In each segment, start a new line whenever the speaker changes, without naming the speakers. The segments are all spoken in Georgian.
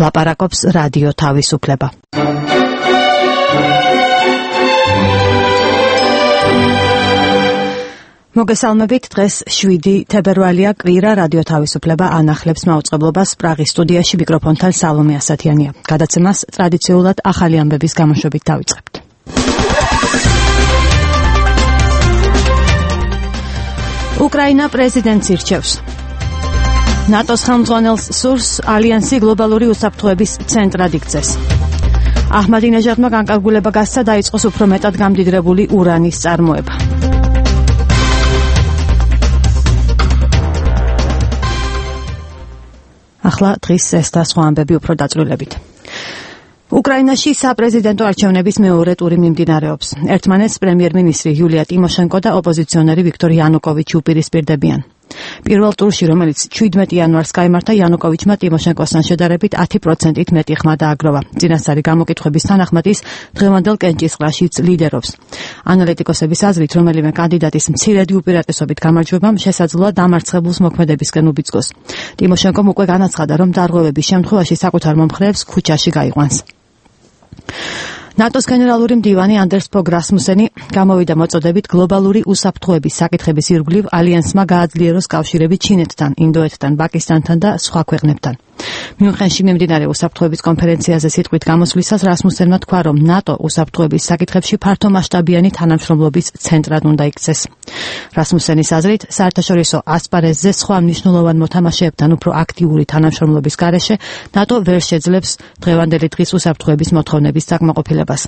ლაპარაკობს რადიო თავისუფლება. მოგესალმებით, დღეს 7 თებერვალია, კვირა, რადიო თავისუფლება ანახლებს მაუწყებლობას პრაღის სტუდიაში, მიკროფონთან სალომე ასათიანია. გადაცემას ტრადიციულად ახალი ამბების გამოშვებით დავიწყებთ. უკრაინა პრეზიდენტს ირჩევს. ნატოს ხელმძღვანელს სურს ალიანსი გლობალური უსაფრთხოების ცენტრად იქცეს. აჰმადინეჟადმა განკარგულება გასცა დაიწყოს უფრო მეტად გამდიდრებული ურანის წარმოება. ახლა დღის ეს და სხვა ამბები უფრო დაწვრილებით. უკრაინაში საპრეზიდენტო არჩევნების მეორე ტური მიმდინარეობს. ერთმანეთს პრემიერ-მინისტრი იულია ტიმოშენკო და ოპოზიციონერი ვიქტორ იანუკოვიჩი უპირისპირდებიან. პირველ ტურში, რომელიც 17 იანვარს გაიმართა, იანუკოვიჩმა ტიმოშენკოსთან შედარებით 10%-ით მეტი ხმა დააგროვა. წინასწარი გამოკითხვების თანახმად ის დღევანდელ კენჭისყრაშიც ლიდერობს. ანალიტიკოსების აზრით, რომელიმე კანდიდატის მცირედი უპირატესობით გამარჯვებამ შესაძლოა დამარცხებულს მოქმედებისკენ უბიძგოს. ტიმოშენკომ უკვე განაცხადა, რომ დარღვევების შემთხვევაში საკუთარ მომხრეებს ქუჩაში გაიყვანს. ნატოს გენერალური მდივანი ანდერს ფოგ რასმუსენი გამოვიდა მოწოდებით გლობალური უსაფრთხოების საკითხების ირგვლივ ალიანსმა გააძლიეროს კავშირები ჩინეთთან, ინდოეთთან, პაკისტანთან და სხვა ქვეყნებთან. მიუნხენში მიმდინარე უსაფრთხოების კონფერენციაზე სიტყვით გამოსვლისას რასმუსენმა თქვა, რომ ნატო უსაფრთხოების საკითხებში ფართომასშტაბიანი თანამშრომლობის ცენტრად უნდა იქცეს. რასმუსენის აზრით, საერთაშორისო ასპარეზზე სხვა მნიშვნელოვან მოთამაშეებთან უფრო აქტიური თანამშრომლობის გარეშე ნატო ვერ შეძლებს დღევანდელი დღის უსაფრთხოების მოთხოვნების საკმაყოფილებას.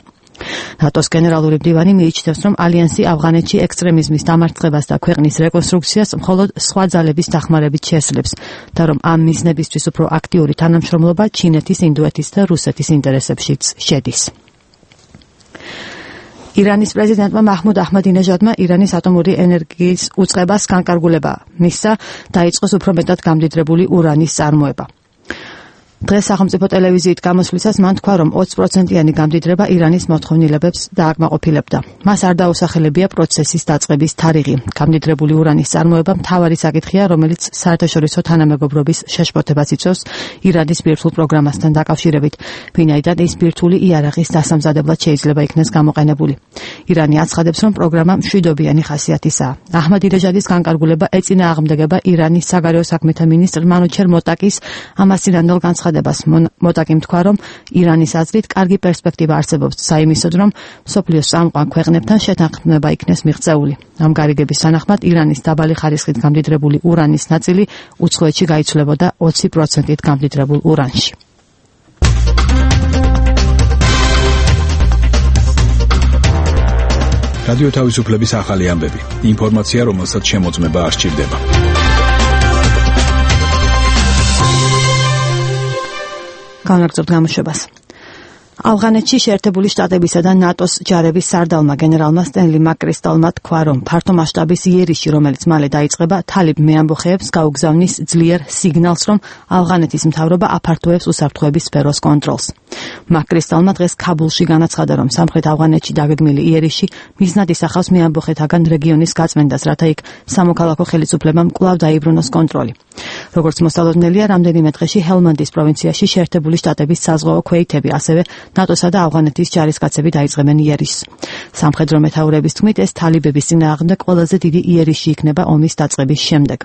ნატოს გენერალური მდივანი მიიჩნევს, რომ ალიანსი ავღანეთში ექსტრემიზმის დამარცხებას და ქვეყნის რეკონსტრუქციას მხოლოდ სხვა ძალების დახმარებით შესძლებს და რომ ამ მიზნებისთვის უფრო აქტიური თანამშრომლობა ჩინეთის, ინდოეთის და რუსეთის ინტერესებშიც შედის. ირანის პრეზიდენტმა მაჰმუდ აჰმადინეჟადმა ირანის ატომური ენერგიის უწყებას განკარგულება მისცა, დაიწყოს უფრო მეტად გამდიდრებული ურანის წარმოება. დღეს სახელმწიფო ტელევიზიით გამოსვლისას მან თქვა, რომ 20%-იანი გამდიდრება ირანის მოთხოვნილებებს დააკმაყოფილებდა. მას არ დაუსახელებია პროცესის დაწყების თარიღი. გამდიდრებული ურანის წარმოება მთავარი საკითხია, რომელიც საერთაშორისო თანამეგობრობის შეშფოთებას იწვევს ირანის ბირთვულ პროგრამასთან დაკავშირებით, ვინაიდან ის ბირთვული იარაღის დასამზადებლად შეიძლება იქნეს გამოყენებული. ირანი აცხადებს, რომ პროგრამა მშვიდობიანი ხასიათისაა. აჰმადინეჟადის განკარგულება ეწინააღმდეგება ირანის საგარეო საქმეთა მინისტრ მანუჩერ მოტაკის ამასწინანდელ განცხადებას. მოტაკიმ თქვა, რომ ირანის აზრით კარგი პერსპექტივა არსებობს საიმისოდ, რომ მსოფლიოს წამყვან ქვეყნებთან შეთანხმება იქნეს მიღწეული. ამ გარიგების თანახმად ირანის დაბალი ხარისხით გამდიდრებული ურანის ნაწილი უცხოეთში გაიცვლებოდა 20%-ით გამდიდრებულ ურანში.
რადიო თავისუფლების ახალი ამბები. ინფორმაცია, რომელსაც შემოწმება არ სჭირდება.
განაგრძობთ გამოშვებას. ავღანეთში შეერთებული შტატებისა და ნატოს ჯარების სარდალმა გენერალმა სტენლი მაკკრისტალმა თქვა, რომ ფართომასშტაბის იერიში, რომელიც მალე დაიწყება, თალიბ მეამბოხეებს გაუგზავნის ძლიერ სიგნალს, რომ ავღანეთის მთავრობა აფართოებს უსაფრთხოების სფეროს კონტროლს. მაკკრისტალმა დღეს ქაბულში განაცხადა, რომ სამხრეთ ავღანეთში დაგეგმილი იერიში მიზნად ისახავს მეამბოხეთაგან რეგიონის გაწმენდას, რათა იქ სამოქალაქო ხელისუფლებამ კვლავ დაიბრუნოს კონტროლი. როგორც მოსალოდნელია, რამდენიმე დღეში ჰელმანდის პროვინციაში შეერთებული შტატების საზღვაო ქვეითები, ასევე ნატოსა და ავღანეთის ჯარისკაცები დაიწყებენ იერიშს. სამხედრო მეთაურების თქმით, ეს თალიბების წინააღმდეგ ყველაზე დიდი იერიში იქნება ომის დაწყების შემდეგ.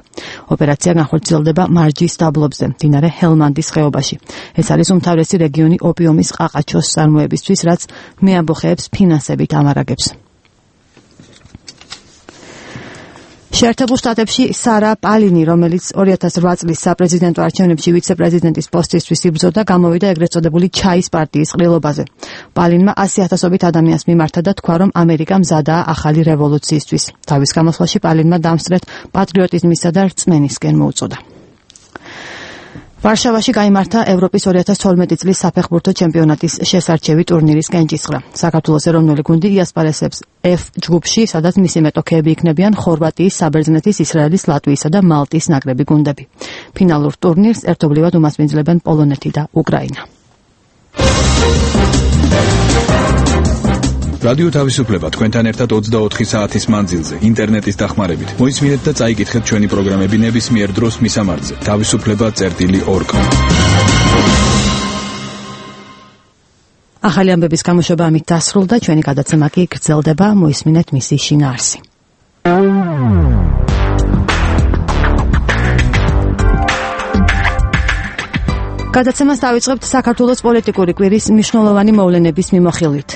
ოპერაცია განხორციელდება მარჯის დაბლობზე, მდინარე ჰელმანდის ხეობაში. ეს არის უმთავრესი რეგიონი ოპიუმის ყაყაჩოს წარმოებისთვის, რაც მეამბოხეებს ფინანსებით ამარაგებს. შეერთებულ შტატებში სარა პალინი, რომელიც 2008 წლის საპრეზიდენტო არჩევნებში ვიცე-პრეზიდენტის პოსტისთვის იბრძოდა, გამოვიდა ეგრეთ წოდებული ჩაის პარტიის ყრილობაზე. პალინმა 100,000-ობით ადამიანს მიმართა და თქვა, რომ ამერიკა მზადაა ახალი რევოლუციისთვის. თავის გამოსვლაში პალინმა დამსწრეთ პატრიოტიზმისა და რწმენისკენ მოუწოდა. ვარშავაში გაიმართა ევროპის 2012 წლის საფეხბურთო ჩემპიონატის შესარჩევი ტურნირის კენჭისყრა. საქართველოს ეროვნული გუნდი იასპარესებს F ჯგუფში, სადაც მისი მეტოქეები იქნებიან ხორვატიის, საბერძნეთის, ისრაელის, ლატვიისა და მალტის ნაკრები გუნდები. ფინალურ ტურნირს ერთობლივად უმასპინძლებენ პოლონეთი და უკრაინა.
რადიო თავისუფლება თქვენთან ერთად 24 საათის მანძილზე ინტერნეტის დახმარებით. მოისმინეთ და წაიკითხეთ ჩვენი პროგრამები ნებისმიერ დროს მისამართზე. თავისუფლება.org.
ახალი ამბების გამოშვება ამით დასრულდა, ჩვენი გადაცემა კი გრძელდება, მოისმინეთ მისი შინაარსი. გადაცემას დავიწყებთ საქართველოს პოლიტიკური კვირის მნიშვნელოვანი მოვლენების მიმოხილვით.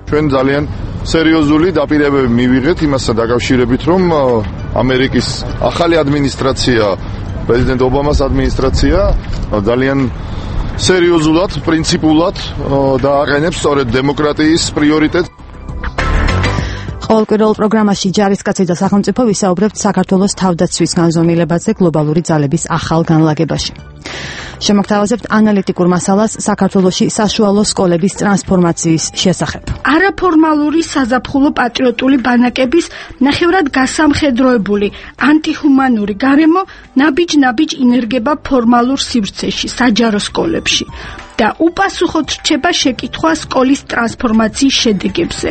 ჩვენ ძალიან სერიოზული დაპირებები მივიღეთ იმასთან დაკავშირებით, რომ ამერიკის ახალი ადმინისტრაცია, პრეზიდენტ ობამას ადმინისტრაცია ძალიან სერიოზულად, პრინციპულად დააყენებს სწორედ დემოკრატიის პრიორიტეტს.
ყოველკვირეულ პროგრამაში ჯარისკაცი და სახელმწიფო ვისაუბრებთ საქართველოს თავდაცვის განზომილებაზე გლობალური ძალების ახალ განლაგებაში. შემოგთავაზებთ ანალიტიკურ მასალას საქართველოში საშუალო სკოლების ტრანსფორმაციის შესახებ.
არაფორმალური საზაფხულო პატრიოტული ბანაკების ნახევრად გასამხედროებული ანტიჰუმანური გარემო ნაბიჯ-ნაბიჯ ინერგება ფორმალურ სივრცეში, საჯარო სკოლებში და უპასუხოდ რჩება შეკითხვა სკოლის ტრანსფორმაციის შედეგებზე.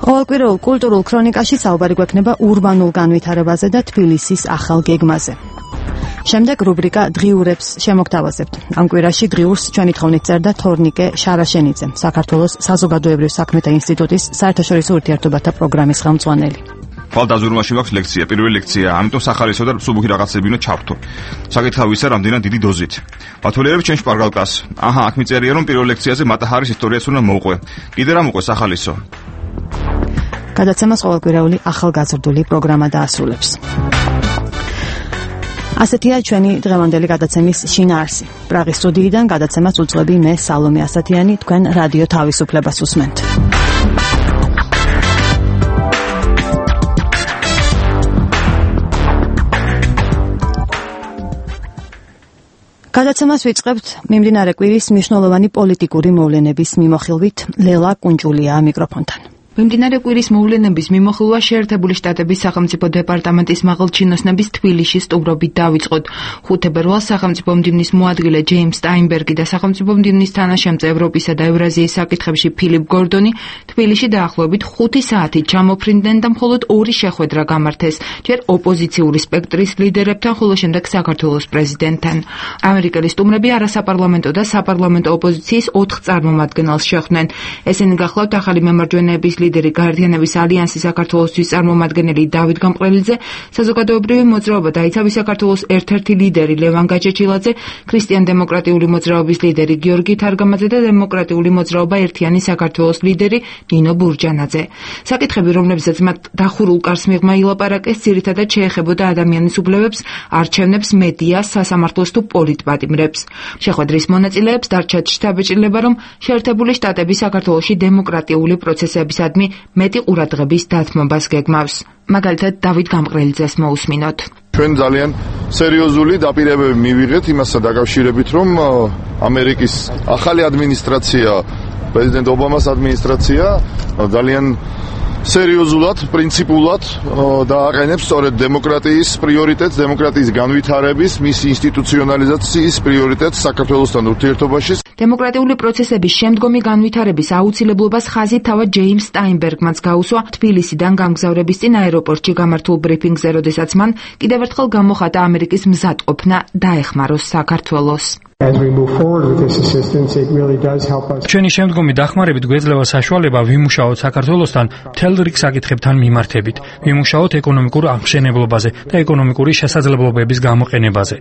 ყოველკვირეულ კულტურულ ქრონიკაში საუბარი გვექნება ურბანულ განვითარებაზე და თბილისის ახალ გეგმაზე. შემდეგ რუბრიკა დღიურებს შემოგთავაზებთ. ამ კვირაში დღიურს ჩვენი თხოვნით წერდა თორნიკე შარაშენიძე, საქართველოს საზოგადოებრივ საქმეთა ინსტიტუტის საერთაშორისო ურთიერთობათა პროგრამის ხელმძღვანელი.
ხვალდაზურმაში მაქვს ლექცია, პირველი ლექცია, ამიტომ სახალისო და მსუბუქი რაღაცები უნდა ჩავთო. საკითხავ ისა რამდენად დიდი დოზით. ბათოლიერებს ჩვენ შპარგალკას. აჰა, აქ მიწერია რომ პირველ ლექციაზე მატაჰარის ისტორიას უნდა მოუყვე. კიდე რა მოყვე სახალისო?
გადაცემას ყოველკვირეული ახალგაზრდული პროგრამა დაასრულებს. ასეთია ჩვენი დღევანდელი გადაცემის შინაარსი. პრაღის სტუდიიდან გადაცემას უძღვები მე სალომე ასათიანი, თქვენ რადიო თავისუფლებას უსმენთ. გადაცემას ვიწყებთ მიმდინარე კვირის მნიშვნელოვანი პოლიტიკური მოვლენების მიმოხილვით. ლელა კუნჭულია მიკროფონთან.
მიმდინარე კვირის მოვლენების მიმოხილვა შეერთებული შტატების სახელმწიფო დეპარტამენტის მაღალჩინოსნების თბილისში სტუმრობით დავიწყოთ. 5 თებერვალს სახელმწიფო მდივნის მოადგილე ჯეიმს სტაინბერგი და სახელმწიფო მდივნის თანაშემწე ევროპისა და ევრაზიის საკითხებში ფილიპ გორდონი თბილისში დაახლოებით 5 საათით ჩამოფრინდნენ და მხოლოდ 2 შეხვედრა გამართეს, ჯერ ოპოზიციური სპექტრის ლიდერებთან, ხოლო შემდეგ საქართველოს პრეზიდენტთან. ამერიკელი სტუმრები არასაპარლამენტო და საპარლამენტო ოპოზიციის 4 წარმომადგენელს შეხვდნენ. ესენი გახლავთ ახალი მემარჯვენეების ლიდერი გაერთიანების ალიანსის საქართველოსთვის წარმომადგენელი დავით გამყრელიძე, საზოგადოებრივი მოძრაობა დაიცავი საქართველოს ერთ-ერთი ლიდერი ლევან გაჭეჭილაძე, ქრისტიან-დემოკრატიული მოძრაობის ლიდერი გიორგი თარგამაძე და დემოკრატიული მოძრაობა ერთიანი საქართველოს ლიდერი ნინო ბურჯანაძე. საკითხები, რომლებზეც მათ დახურულ კარს მიღმა ილაპარაკეს, ძირითადად შეეხებოდა ადამიანის უფლებებს, არჩევნებს, მედიას, სასამართლოს თუ პოლიტპატიმრებს. შეხვედრის მონაწილეებს დარჩათ შთაბეჭდილება, რომ შეერთებული შტატები საქართველოში დემოკრატიული პროცესებისადმი მეტი ყურადღების დათმობას გეგმავს. მაგალითად, დავით გამყრელიძეს მოусმინოთ.
ჩვენ ძალიან სერიოზული დაპირებები მივიღეთ იმასთან დაკავშირებით, რომ ამერიკის ახალი ადმინისტრაცია, პრეზიდენტ ობამას ადმინისტრაცია ძალიან სერიოზულად, პრინციპულად დააყენებს სწორედ დემოკრატიის პრიორიტეტს, დემოკრატიის განვითარების, მის ინსტიტუციონალიზაციის პრიორიტეტს საქართველოსთან ურთიერთობაში.
დემოკრატიული პროცესების შემდგომი განვითარების აუცილებლობას ხაზი თავად ჯეიმს სტაინბერგმანს გაუსვა თბილისიდან გამგზავრების წინ აეროპორტში გამართულ ბრიფინგზე, როდესაც მან კიდევ ერთხელ გამოხატა ამერიკის მზადყოფნა დაეხმაროს საქართველოს.
ჩვენი შემდგომი დახმარებით გვეძლევა საშუალება ვიმუშაოთ საქართველოსთან მთელ რიგ საკითხებთან მიმართებით, ვიმუშაოთ ეკონომიკურ აღმშენებლობაზე და ეკონომიკური შესაძლებლობების გამოყენებაზე.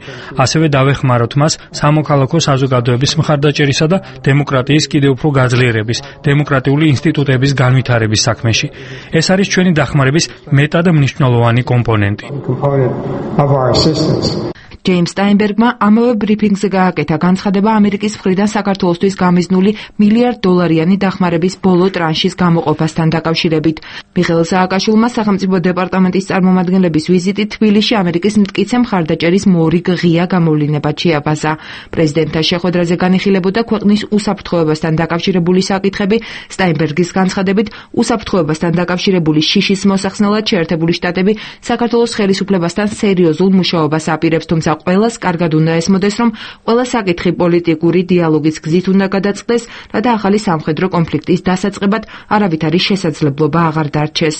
ასევე დავეხმაროთ მას სამოქალაქო საზოგადოების მხარდაჭერისა და დემოკრატიის კიდევ უფრო გაძლიერების, დემოკრატიული ინსტიტუტების განვითარების საქმეში. ეს არის ჩვენი დახმარების მეტად მნიშვნელოვანი კომპონენტი.
ჯეიმს სტაინბერგმა ამავე ბრიფინგზე გააკეთა განცხადება ამერიკის მხრიდან საქართველოსთვის გამიზნული $1 დახმარების ბოლო ტრანშის გამოყოფასთან დაკავშირებით. მიხეილ სააკაშვილმა სახელმწიფო დეპარტამენტის წარმომადგენლების ვიზიტი თბილისში ამერიკის მტკიცე მხარდაჭერის მორიგ ღია გამოვლინებად შეაბაზა. პრეზიდენტთან შეხვედრაზე განიხილებოდა ქვეყნის უსაფრთხოებასთან დაკავშირებული საკითხები. სტაინბერგის განცხადებით, უსაფრთხოებასთან დაკავშირებული შიშის მოსახსნელად შეერთებული შტატები საქართველოს ხელისუფლებასთან სერიოზულ მუშაობას აპირებს, თუმცა თუმცა ყველას კარგად უნდა ესმოდეს, რომ ყველა საკითხი პოლიტიკური დიალოგის გზით უნდა გადაწყდეს, რათა ახალი სამხედრო კონფლიქტის დასაწყებად არავითარი შესაძლებლობა აღარ დარჩეს.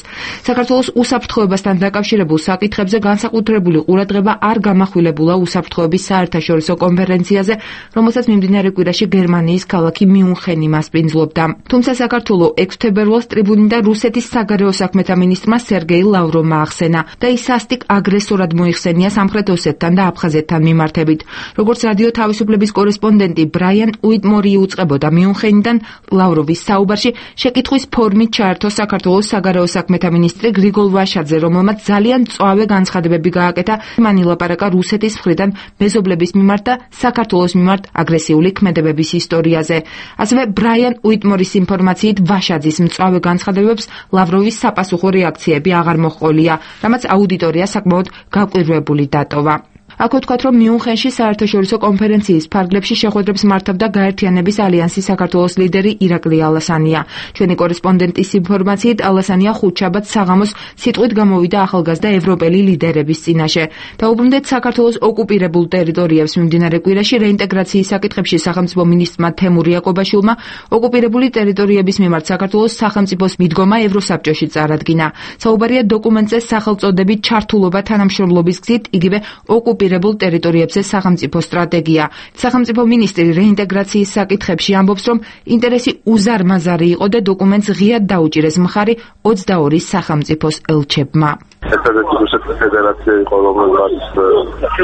საქართველოს უსაფრთხოებასთან დაკავშირებულ საკითხებზე განსაკუთრებული ყურადღება არ გამახვილებულა უსაფრთხოების საერთაშორისო კონფერენციაზე, რომელსაც მიმდინარე კვირაში გერმანიის ქალაქი მიუნხენი მასპინძლობდა. თუმცა საქართველოს 6 თებერვალს ტრიბუნიდან რუსეთის საგარეო საქმეთა მინისტრმა სერგეი ლავროვმა ახსენა და ის სასტიკ აგრესორად მოიხსენია სამხრეთ ოსეთთან და აფხაზეთთან მიმართებით. როგორც რადიო თავისუფლების კორესპონდენტი ბრაიან უიტმორი უწყებოდა მიუნხენიდან, ლავროვის საუბარში შეკითხვის ფორმით ჩაერთო საქართველოს საგარეო საქმეთა მინისტრი გრიგოლ ვაშაძე, რომელმაც ძალიან მწვავე განცხადებები გააკეთა მან ილაპარაკა რუსეთის მხრიდან მეზობლების მიმართ და საქართველოს მიმართ აგრესიული ქმედებების ისტორიაზე. ასევე ბრაიან უიტმორის ინფორმაციით ვაშაძის მწვავე განცხადებებს ლავროვის საპასუხო რეაქციები აღარ მოჰყოლია, რამაც აუდიტორია საკმაოდ გაკვირვებული დატოვა. აქ ვთქვათ, რომ მიუნხენში საერთაშორისო კონფერენციის ფარგლებში შეხვედრებს მართავდა გაერთიანების ალიანსის საქართველოს ლიდერი ირაკლი ალასანია. ჩვენი კორესპონდენტის ინფორმაციით, ალასანია ხუთშაბათს საღამოს სიტყვით გამოვიდა ახალგაზრდა ევროპელი ლიდერების წინაშე. დაუბრუნდეთ საქართველოს ოკუპირებულ ტერიტორიებს მიმდინარე კვირაში რეინტეგრაციის საკითხებში სახელმწიფო მინისტრმა თემურ იაკობაშვილმა ოკუპირებული ტერიტორიების მიმართ საქართველოს სახელმწიფოს მიდგომა ევროსაბჭოში წარადგინა. საუბარია დოკუმენტზე სახელწოდებით ჩართულობა თანამშრომლობის გზით, იგივე ოკუპირებულ ტერიტორიებზე სახელმწიფო სტრატეგია. სახელმწიფო მინისტრი რეინტეგრაციის საკითხებში ამბობს, რომ ინტერესი უზარმაზარი იყო და დოკუმენტს ღიად დაუჭირეს მხარი 22 სახელმწიფოს ელჩებმა.
ერთადერთი რუსეთის ფედერაცია იყო, რომელსაც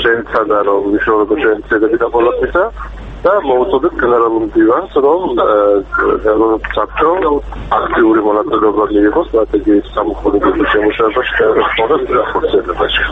შეეცადა, რომ ვიშორებო შეეცადები და პოლიტიკა და მოუწოდეთ გენერალურ მდივანს, რომ ევროსაბჭო აქტიური მონაწილეობა მიიღოს სტრატეგიის სამოხმოდებაში შემუშავებაში და ევროპის ახორციელებაში.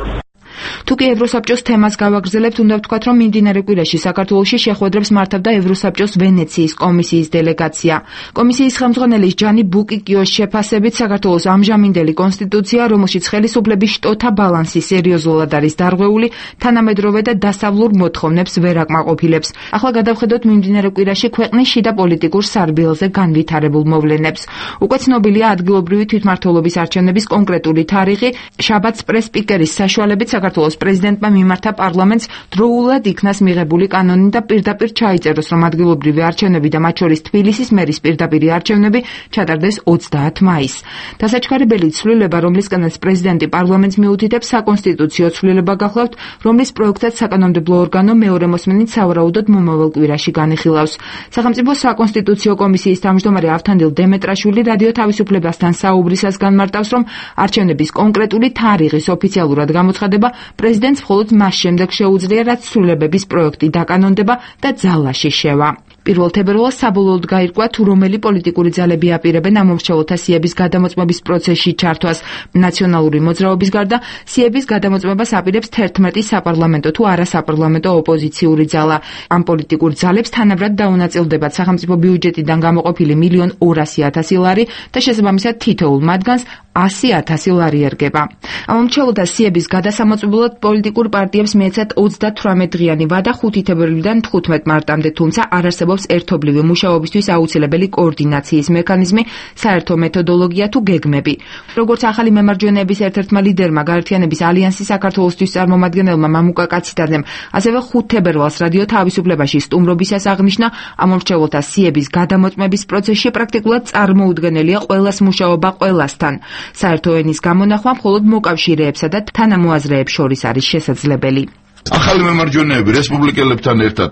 თუკი ევროსაბჭოს თემას გავაგრძელებთ, უნდა ვთქვათ, რომ მიმდინარე კვირაში საქართველოში შეხვედრებს მართავდა ევროსაბჭოს ვენეციის კომისიის დელეგაცია. კომისიის ხელმძღვანელის ჯანი ბუკიკიოს შეფასებით, საქართველოს ამჟამინდელი კონსტიტუცია, რომელშიც ხელისუფლების შტოთა ბალანსი სერიოზულად არის დარღვეული, თანამედროვე და დასავლურ მოთხოვნებს ვერ აკმაყოფილებს. ახლა გადავხედოთ მიმდინარე კვირაში ქვეყნის შიდა პოლიტიკურ სარბიელზე განვითარებულ მოვლენებს. უკვე ცნობილია ადგილობრივი თვითმმართველობის არჩევნების კონკრეტული თარიღი. შაბათს პრეს-სპიკერის საშუალებით საქართველოს პრეზიდენტმა მიმართა პარლამენტს დროულად იქნას მიღებული კანონი და პირდაპირ ჩაიწეროს, რომ ადგილობრივი არჩევნები და მათ შორის თბილისის მერის პირდაპირი არჩევნები ჩატარდეს 30 მაისს. დასაჩქარებელი ცვლილება, რომლისგანაც პრეზიდენტი პარლამენტს მიუთითებს, საკონსტიტუციო ცვლილება გახლავთ, რომლის პროექტად საკანონმდებლო ორგანო მეორე მოსმენით სავარაუდოდ მომავალ კვირაში განიხილავს. სახელმწიფო საკონსტიტუციო კომისიის თავმჯდომარე ავთანდილ დემეტრაშვილი რადიო თავისუფლებასთან საუბრისას განმარტავს, რომ არჩევნების კონკრეტული თარიღის ოფიციალურად გამოცხადება პრეზიდენტს მხოლოდ მას შემდეგ შეუძლია, რაც ცვლილებების პროექტი დაკანონდება და ძალაში შევა. 1 თებერვალს საბოლოოდ გაირკვა, თუ რომელი პოლიტიკური ძალები აპირებენ ამ მომრჩეველთა სიების გადამოწმების პროცესში ჩართვას. ნაციონალური მოძრაობის გარდა სიების გადამოწმებას აპირებს 11 საპარლამენტო თუ არასაპარლამენტო ოპოზიციური ძალა. ამ პოლიტიკურ ძალებს თანაბრად დაუნაწილდებათ სახელმწიფო ბიუჯეტიდან გამოყოფილი 1.200.000 ლარი და შესაბამისად თითოეულ მათგანს 100.000 ლარი ერგება. ამ მომრჩეველთა სიების გადასამოწმებლად პოლიტიკურ პარტიებს მიეცათ 38 დღიანი ვადა 5 თებერვლიდან 15 მარტამდე, თუმცა არ არსებობს ერთობლივი მუშაობისთვის აუცილებელი კოორდინაციის მექანიზმი, საერთო მეთოდოლოგია თუ გეგმები. როგორც ახალი მემარჯვენეების ერთ-ერთმა ლიდერმა გაერთიანების ალიანსის საქართველოსთვის წარმომადგენელმა მამუკა კაციტაძემ, ასევე 5 თებერვალს რადიო თავისუფლებაში სტუმრობისას აღნიშნა, ამ მომრჩეველთა სიების გადამოწმების პროცესში პრაქტიკულად წარმოუდგენელია ყველას მუშაობა ყველასთან. საერთო ენის გამონახვა მხოლოდ მოკავშირეებსა და თანამოაზრეებს შორის არის შესაძლებელი.
ახალი მემარჯვენეები რესპუბლიკელებთან ერთად,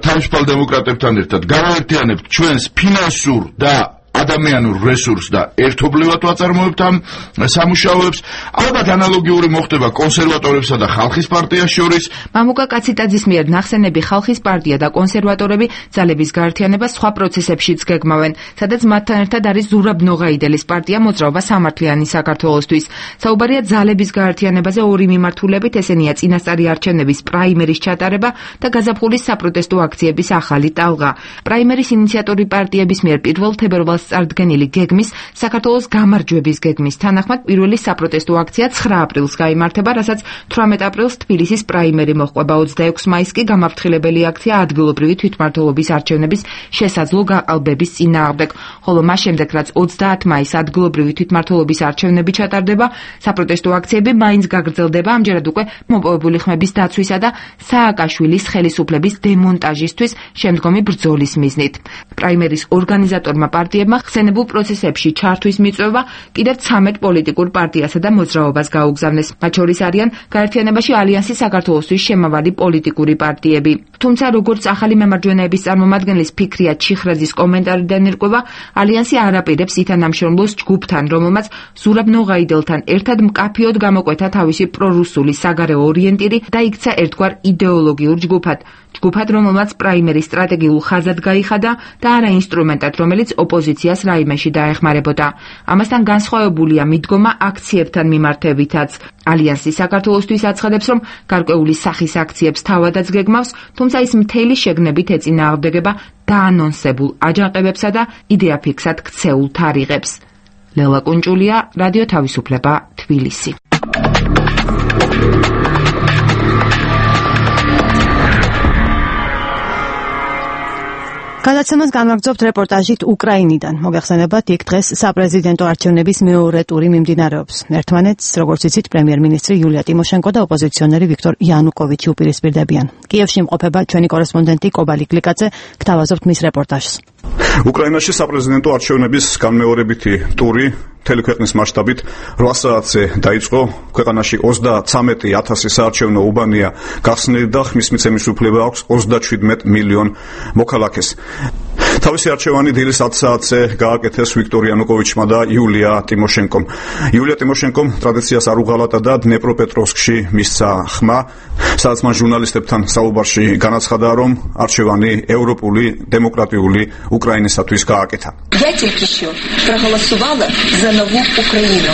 თავისუფალ დემოკრატებთან ერთად გავაერთიანებთ ჩვენს ფინანსურ და ადამიანურ რესურსს და ერთობლივად ვაწარმოებთ ამ სამუშაოებს. ალბათ ანალოგიური მოხდება კონსერვატორებსა და ხალხის პარტიას შორის.
მამუკა კაციტაძის მიერ ნახსენები ხალხის პარტია და კონსერვატორები ძალების გაერთიანებას სხვა პროცესებშიც გეგმავენ, სადაც მათთან ერთად არის ზურაბ ნოღაიდელის პარტია მოძრაობა სამართლიანი საქართველოსთვის. საუბარია ძალების გაერთიანებაზე ორი მიმართულებით, ესენია წინასწარი არჩევნების პრაიმერის ჩატარება და გაზაფხულის საპროტესტო აქციების ახალი ტალღა. პრაიმერის ინიციატორი პარტიების მიერ 1 თებერვალს წარდგენილი გეგმის, საქართველოს გამარჯვების გეგმის თანახმად პირველი საპროტესტო აქცია 9 აპრილს გაიმართება, რასაც 18 აპრილს თბილისის პრაიმერი მოჰყვება. 26 მაისს კი გამაფრთხილებელი აქცია ადგილობრივი თვითმმართველობის არჩევნების შესაძლო გაყალბების წინააღმდეგ, ხოლო მას შემდეგ, რაც 30 მაისს ადგილობრივი თვითმმართველობის არჩევნები ჩატარდება, საპროტესტო აქციები მაინც გაგრძელდება, ამჯერად უკვე მოპოვებული ხმების დაცვისა და სააკაშვილის ხელისუფლების დემონტაჟისთვის შემდგომი ბრძოლის მიზნით. პრაიმერის ორგანიზატორმა პარტიებმა ხსენებულ პროცესებში ჩართვის მიწვევა კიდევ 13 პოლიტიკურ პარტიასა და მოძრაობას გაუგზავნეს. მათ შორის არიან გაერთიანებაში ალიანსი საქართველოსთვის შემავალი პოლიტიკური პარტიები. თუმცა როგორც ახალი მემარჯვენეების წარმომადგენლის ფიქრია ჩიხრაძის კომენტარიდან ირკვევა, ალიანსი არ აპირებს ითანამშრომლოს ჯგუფთან, რომელმაც ზურაბ ნოღაიდელთან ერთად მკაფიოდ გამოკვეთა თავისი პრორუსული საგარეო ორიენტირი და იქცა ერთგვარ იდეოლოგიურ ჯგუფად, რომელმაც პრაიმერის სტრატეგიულ ხაზად გაიხადა და არა ინსტრუმენტად, რომელიც ოპოზიციას რაიმეში დაეხმარებოდა. ამასთან განსხვავებულია მიდგომა აქციებთან მიმართებითაც. ალიანსი საქართველოსთვის აცხადებს, რომ გარკვეული სახის აქციებს თავადაც გეგმავს, თუმცა ის მთელი შეგნებით ეწინააღმდეგება დაანონსებულ აჯანყებებსა და იდეაფიქსად ქცეულ თარიღებს. ლელა კუნჭულია, რადიო თავისუფლება, თბილისი.
გადაცემას განვაგრძობთ რეპორტაჟით უკრაინიდან. მოგეხსენებათ, იქ დღეს საპრეზიდენტო არჩევნების მეორე ტური მიმდინარეობს. ერთმანეთს, როგორც იცით, პრემიერ-მინისტრი იულია ტიმოშენკო და ოპოზიციონერი ვიქტორ იანუკოვიჩი უპირისპირდებიან. კიევში იმყოფება ჩვენი კორესპონდენტი კობალი გლიკაძე, გთავაზობთ მის რეპორტაჟს.
უკრაინაში საპრეზიდენტო არჩევნების განმეორებითი ტური მთელი ქვეყნის მასშტაბით 8 საათზე დაიწყო. ქვეყანაში 33,000 საარჩევნო უბანია გახსნილი და ხმის მიცემის უფლება აქვს 37 მილიონ მოქალაქეს. თავისი არჩევანი დილის 10 საათზე გააკეთეს ვიქტორ იანუკოვიჩმა და იულია ტიმოშენკომ. იულია ტიმოშენკომ ტრადიციას არ უღალატა და დნეპროპეტროვსკში მისცა ხმა, სადაც მან ჟურნალისტებთან საუბარში განაცხადა, რომ არჩევანი ევროპული დემოკრატიული უკრაინისათვის გააკეთა.
Я только что проголосовала за новую Украину.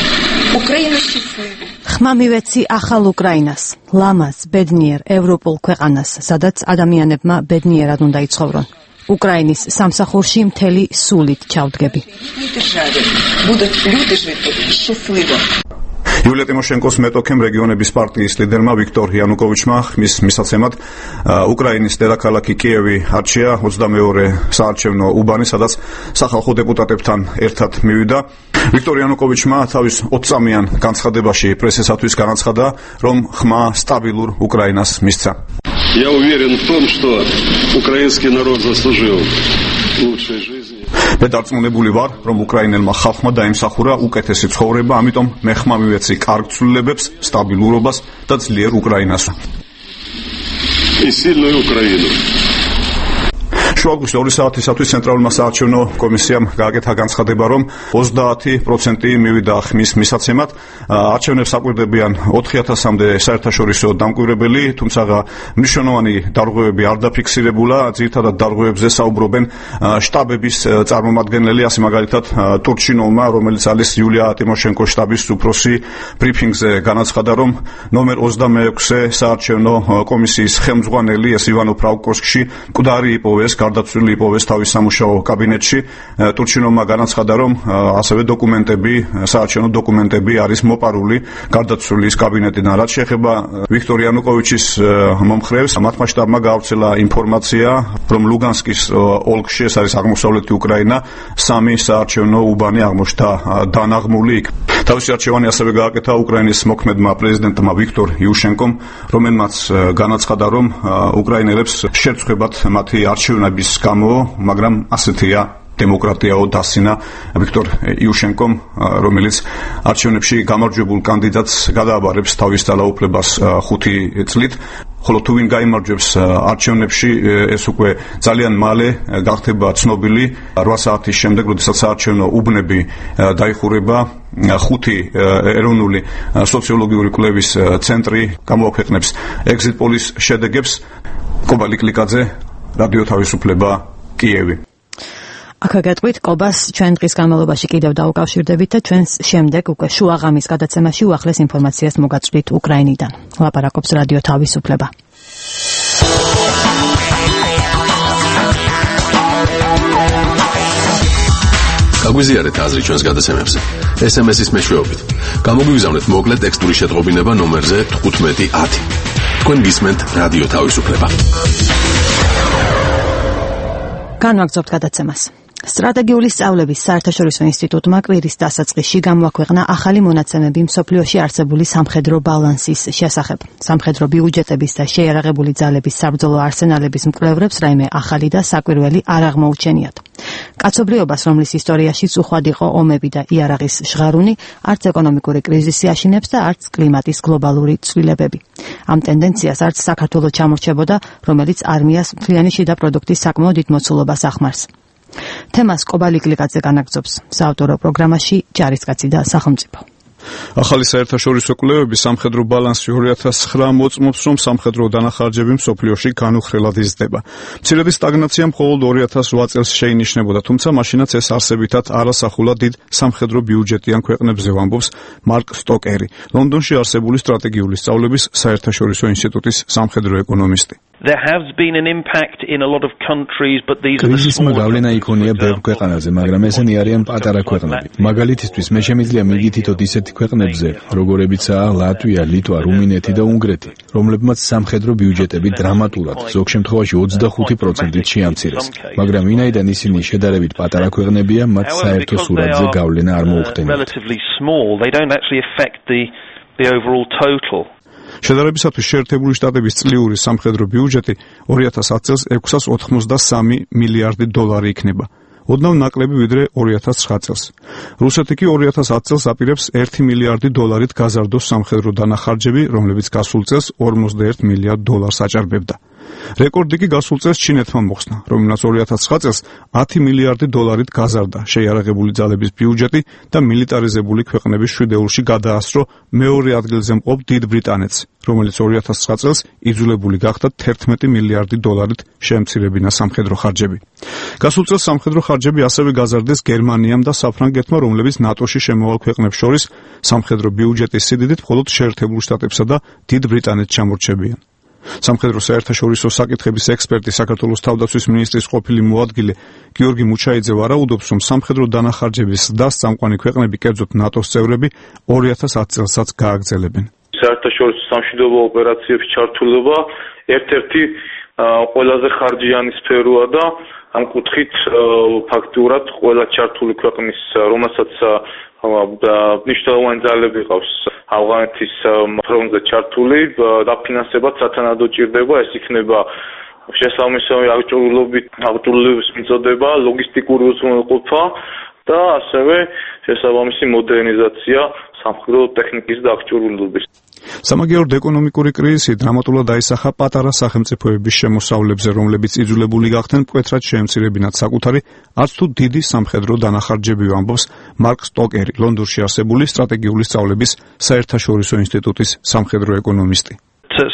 Украина счастливая.
ხმა მივეცი ახალ უკრაინას, ლამაზ, ბედნიერ, ევროპულ ქვეყანას, სადაც ადამიანებმა ბედნიერად უნდა იცხოვრონ. უკრაინის სამსახურში მთელი სულით ჩავდგები.
იულია ტიმოშენკოს მეტოქემ რეგიონების პარტიის ლიდერმა ვიქტორ იანუკოვიჩმა ხმის მისაცემად უკრაინის დედაქალაქი კიევი არჩია 22 საარჩევნო უბანი, სადაც სახალხო დეპუტატებთან ერთად მივიდა. ვიქტორ იანუკოვიჩმა თავის 20 წამიან განცხადებაში პრესისათვის განაცხადა, რომ ხმა სტაბილურ უკრაინას მისცა.
Я уверен в том, что украинский народ заслужил лучшей жизни.
მე დარწმუნებული ვარ, რომ უკრაინელმა ხალხმა დაიმსახურა უკეთესი ცხოვრება, ამიტომ მე ხმა მივეცი კარგ ცვლილებებს, სტაბილურობას და ძლიერ უკრაინას.
И сильную Украину.
შუაგულში 2 საათისათვის ცენტრალურმა საარჩევნო კომისიამ გააკეთა განცხადება, რომ 30% მივიდა ხმის მისაცემად. არჩევნებს აკვირდებიან 4000-მდე საერთაშორისო დამკვირვებელი, თუმცა მნიშვნელოვანი დარღვევები არ დაფიქსირებულა. ძირითადად დარღვევებზე საუბრობენ შტაბების წარმომადგენლები, ასე მაგალითად ტურჩინოვმა, რომელიც არის იულია ტიმოშენკოს შტაბის უფროსი, ბრიფინგზე განაცხადა, რომ ნომერ 26-ე საარჩევნო კომისიის ხელმძღვანელი ეს ივანო ფრაუკოვსკში მკვდარი იპოვეს, გარდაცვლილი იპოვეს თავის სამუშაო კაბინეტში. ტურჩინოვმა განაცხადა, რომ ასევე დოკუმენტები, საარჩევნო დოკუმენტები არის მოპარული გარდაცვლილის კაბინეტიდან. რაც შეეხება ვიქტორ იანუკოვიჩის მომხრევს, მათმა შტაბმა გაავრცელა ინფორმაცია, რომ ლუგანსკის ოლქში, ეს არის აღმოსავლეთი უკრაინა, 3 საარჩევნო უბანი აღმოჩნდა დანაღმული. თავისი არჩევანი ასევე გააკეთა უკრაინის მოქმედმა პრეზიდენტმა ვიქტორ იუშენკომ, რომელმაც განაცხადა, რომ უკრაინელებს შერწყვებათ მათი არჩევნების გამო, მაგრამ ასეთია დემოკრატიაო დასინა ვიქტორ იუშენკომ, რომელიც არჩევნებში გამარჯვებულ კანდიდატს გადააბარებს თავის ძალაუფლებას 5 წლით. ხოლო თუ ვინ გაიმარჯვებს არჩევნებში, ეს უკვე ძალიან მალე გახდება ცნობილი 8 საათის შემდეგ, როდესაც საარჩევნო უბნები დაიხურება. 5 ეროვნული სოციოლოგიური კვლევის ცენტრი გამოაქვეყნებს exit polls შედეგებს. კობალი გლიკაძე, რადიო თავისუფლება, კიევი.
აქ გეტყვით კობას ჩვენ დღის განმავლობაში კიდევ დაუკავშირდებით და ჩვენს შემდეგ უკვე შუაღამის გადაცემაში უახლეს ინფორმაციას მოგაწვდით უკრაინიდან. ლაპარაკობს რადიო თავისუფლება.
გაგვიზიარეთ აზრი ჩვენს გადაცემებზე. SMS-ის მეშვეობით. გამოგვიგზავნეთ მოკლე ტექსტური შეტყობინება ნომერზე 1510. თქვენ გისმენთ რადიო თავისუფლება.
განვაგრძობთ გადაცემას. სტრატეგიული სწავლების საერთაშორისო ინსტიტუტმა კვირის დასაწყისში გამოაქვეყნა ახალი მონაცემები მსოფლიოში არსებული სამხედრო ბალანსის შესახებ. სამხედრო ბიუჯეტების და შეიარაღებული ძალების საბრძოლო არსენალების მკვლევრებს რაიმე ახალი და საკვირველი არ აღმოუჩენიათ. კაცობრიობას, რომლის ისტორიაში უხვად იყო ომები და იარაღის ჟღარუნი, არც ეკონომიკური კრიზისი აშინებს და არც კლიმატის გლობალური ცვლილებები. ამ ტენდენციას არც საქართველოს ჩამორჩებოდა, რომელიც არმიას მთლიანი შიდა პროდუქტის საკმაოდ დიდ მოცულობას ახმარს. თემას კობალი გლიკაძე განაგრძობს საავტორო პროგრამაში ჯარისკაცი და სახელმწიფო.
ახალი საერთაშორისო კვლევები სამხედრო ბალანსი 2009 მოწმობს, რომ სამხედრო დანახარჯები მსოფლიოში განუხრელად იზრდება. მცირედი სტაგნაცია მხოლოდ 2008 წელს შეინიშნებოდა, თუმცა მაშინაც ეს არსებითად არასახულად დიდ სამხედრო ბიუჯეტიან ქვეყნებზე, ამბობს მარკ სტოკერი, ლონდონში არსებული სტრატეგიული სწავლების საერთაშორისო ინსტიტუტის სამხედრო ეკონომისტი.
There has been an impact in a lot of countries, but these are the
კრიზისმა გავლენა იქონია ბევრ ქვეყანაზე, მაგრამ ესენი არიან პატარა ქვეყნები. მაგალითისთვის მე შემიძლია მიგითითოთ ისეთი ქვეყნებზე, როგორებიცაა ლატვია, ლიტვა, რუმინეთი და უნგრეთი, რომლებმაც სამხედრო ბიუჯეტები დრამატულად, ზოგ შემთხვევაში 25%-ით შეამცირეს. მაგრამ ვინაიდან ისინი შედარებით პატარა ქვეყნებია, მათ საერთო სურათზე გავლენა არ მოუხდენიათ.
შედარებისათვის შეერთებული შტატების წლიური სამხედრო ბიუჯეტი 2010 წელს 683 მილიარდი დოლარი იქნება. ოდნავ ნაკლები ვიდრე 2009 წელს. რუსეთი კი 2010 წელს აპირებს 1 მილიარდი დოლარით გაზარდოს სამხედრო დანახარჯები, რომლებიც გასულ წელს 41 მილიარდ დოლარს აჭარბებდა. რეკორდი კი გასულ წელს ჩინეთმა მოხსნა, რომელმაც 2009 წელს 10 მილიარდი დოლარით გაზარდა შეიარაღებული ძალების ბიუჯეტი და მილიტარიზებული ქვეყნების შვიდეულში გადაასწრო მეორე ადგილზე მყოფ დიდ ბრიტანეთს, რომელიც 2009 წელს იძულებული გახდა 11 მილიარდი დოლარით შეემცირებინა სამხედრო ხარჯები. გასულ წელს სამხედრო ხარჯები ასევე გაზარდეს გერმანიამ და საფრანგეთმა, რომლებიც ნატოში შემოვალ ქვეყნებს შორის სამხედრო ბიუჯეტის სიდიდით მხოლოდ შეერთებულ შტატებსა და დიდ ბრიტანეთს ჩამორჩებიან. სამხედრო საერთაშორისო საკითხების ექსპერტი საქართველოს თავდაცვის მინისტრის ყოფილი მოადგილე გიორგი მუჩაიძე ვარაუდობს, რომ სამხედრო დანახარჯების ზრდას წამყვანი ქვეყნები, კერძოდ ნატოს წევრები 2010 წელსაც გააგრძელებენ.
საერთაშორისო სამშვიდობო ოპერაციებში ჩართულობა ერთ-ერთი ყველაზე ხარჯიანი სფეროა და ამ კუთხით ფაქტურად ყველა ჩართული ქვეყნის, რომელსაც მნიშვნელოვანი ძალები ყავს ავღანეთის ფრონტზე ჩართული, დაფინანსებად სათანადო ჭირდება, ეს იქნება შესაბამისი აღჭურვილობის მიწოდება, ლოგისტიკური უზრუნველყოფა და ასევე შესაბამისი მოდერნიზაცია სამხედრო ტექნიკის და აღჭურვილობის.
სამაგიეროდ ეკონომიკური კრიზისი დრამატულად აისახა პატარა სახელმწიფოების შემოსავლებზე, რომლებიც იძულებული გახდნენ მკვეთრად შეემცირებინათ საკუთარი, არც თუ დიდი სამხედრო დანახარჯები, ამბობს მარკ სტოკერი, ლონდონში არსებული სტრატეგიული სწავლების საერთაშორისო ინსტიტუტის სამხედრო ეკონომისტი.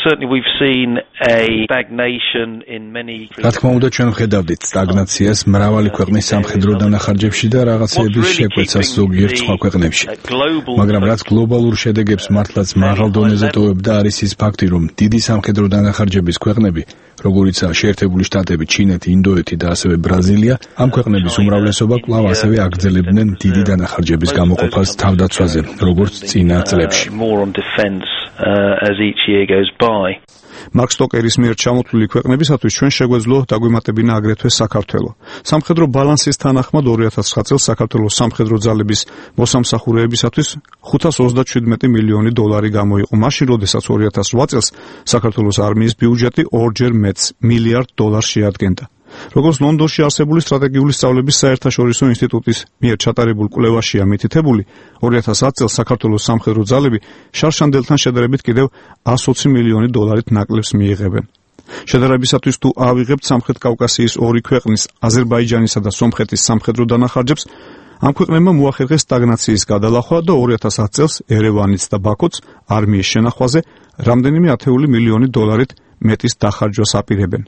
Certainly we've seen a stagnation in many.
რა თქმა უნდა, ჩვენ ვხედავდით სტაგნაციას მრავალი ქვეყნის სამხედრო დანახარჯებში და რაღაცეების შეკვეცას ზოგიერთ სხვა ქვეყნებში. მაგრამ რაც გლობალურ შედეგებს მართლაც მაღალ დონეზე ტოვებდა, არის ის ფაქტი, რომ დიდი სამხედრო დანახარჯების ქვეყნები, როგორიცაა შეერთებული შტატები, ჩინეთი, ინდოეთი და ასევე ბრაზილია, ამ ქვეყნების უმრავლესობა კვლავ ასევე აგრძელებდნენ დიდი დანახარჯების გამოყოფას თავდაცვაზე, როგორც წინა წლებში.
As each year goes by.
მარკ სტოკერის მიერ ჩამოთვლილი ქვეყნებისათვის ჩვენ შეგვეძლო დაგვიმატებინა აგრეთვე საქართველო. სამხედრო ბალანსის თანახმად 2009 წელს საქართველოს სამხედრო ძალების მოსამსახურეებისათვის 537 მილიონი დოლარი გამოიყო. მაშინ, როდესაც 2008 წელს საქართველოს არმიის ბიუჯეტი ორჯერ მეტს მილიარდ დოლარს შეადგენდა. როგორც ლონდონში არსებული სტრატეგიული სწავლების საერთაშორისო ინსტიტუტის მიერ ჩატარებულ კვლევაშია მითითებული, 2010 წელს საქართველოს სამხედრო ძალები შარშანდელთან შედარებით კიდევ 120 მილიონი დოლარით ნაკლებს მიიღებენ. შედარებისათვის თუ ავიღებთ სამხრეთ-კავკასიის ორი ქვეყნის, აზერბაიჯანისა და სომხეთის სამხედრო დანახარჯებს, ამ ქვეყნებმა მოახერხეს სტაგნაციის გადალახვა და 2010 წელს ერევანიც და ბაქოც არმიის შენახვაზე რამდენიმე ათეული მილიონი დოლარით მეტის დახარჯვას აპირებენ.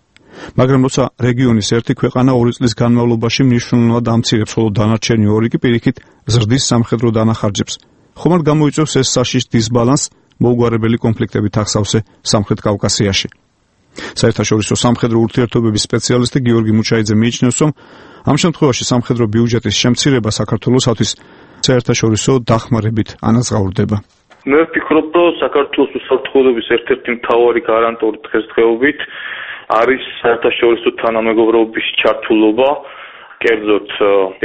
მაგრამ როცა რეგიონის ერთი ქვეყანა 2 წლის განმავლობაში მნიშვნელოვნად ამცირებს, ხოლო დანარჩენი ორი კი პირიქით ზრდის სამხედრო დანახარჯებს. ხომალდ გამოიწვევს ეს საშიშ დისბალანსს მოუგვარებელი კონფლიქტებით ახსავსე სამხრეთ კავკასიაში. საერთაშორისო სამხედრო ურთიერთობების სპეციალისტი გიორგი მუჩაიძე მიიჩნევს, რომ ამ შემთხვევაში სამხედრო ბიუჯეტის შემცირება საქართველოსთვის საერთაშორისო დახმარებით ანაზღაურდება.
მე ვფიქრობ, რომ საქართველოს უსაფრთხოების ერთ-ერთი მთავარი გარანტი დღესდღეობით არის საერთაშორისო თანამეგობრობის ჩართულობა, კერძოდ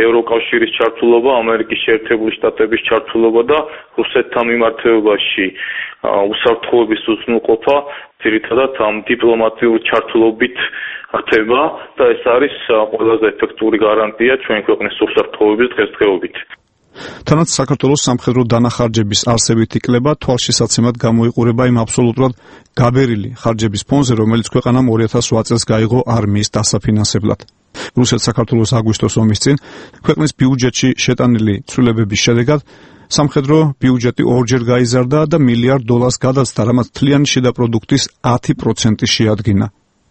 ევროკავშირის ჩართულობა, ამერიკის შეერთებული შტატების ჩართულობა და რუსეთთან მიმართებაში უსაფრთხოების უზრუნველყოფა ძირითადად ამ დიპლომატიური ჩართულობით ხდება და ეს არის ყველაზე ეფექტური გარანტია ჩვენი ქვეყნის უსაფრთხოების დღესდღეობით.
თანაც საქართველოს სამხედრო დანახარჯების არსებითი კლება თვალშისაცემად გამოიყურება იმ აბსოლუტურად გაბერილი ხარჯების ფონზე, რომელიც ქვეყანამ 2008 წელს გაიღო არმიის დასაფინანსებლად. რუსეთ-საქართველოს აგვისტოს ომის წინ ქვეყნის ბიუჯეტში შეტანილი ცვლილებების შედეგად სამხედრო ბიუჯეტი ორჯერ გაიზარდა და $1 მილიარდ გადაწყდა, რამაც თლიანი შიდა პროდუქტის 10% შეადგინა.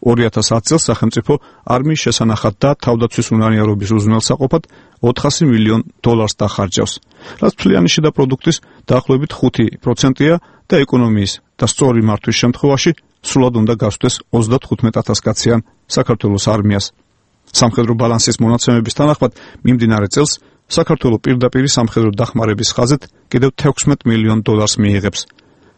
2010 წელს სახელმწიფო არმიის შესანახად და თავდაცვის უნარიანობის უზრუნველსაყოფად $400 მილიონ დახარჯავს, რაც თლიანი შიდა პროდუქტის დაახლოებით 5%-ია და ეკონომიის და სწორი მართვის შემთხვევაში სრულად უნდა გასვდეს 35,000 კაციან საქართველოს არმიას. სამხედრო ბალანსის მონაცემების თანახმად მიმდინარე წელს საქართველო პირდაპირ სამხედრო დახმარების ხაზით კიდევ $16 მილიონ მიიღებს.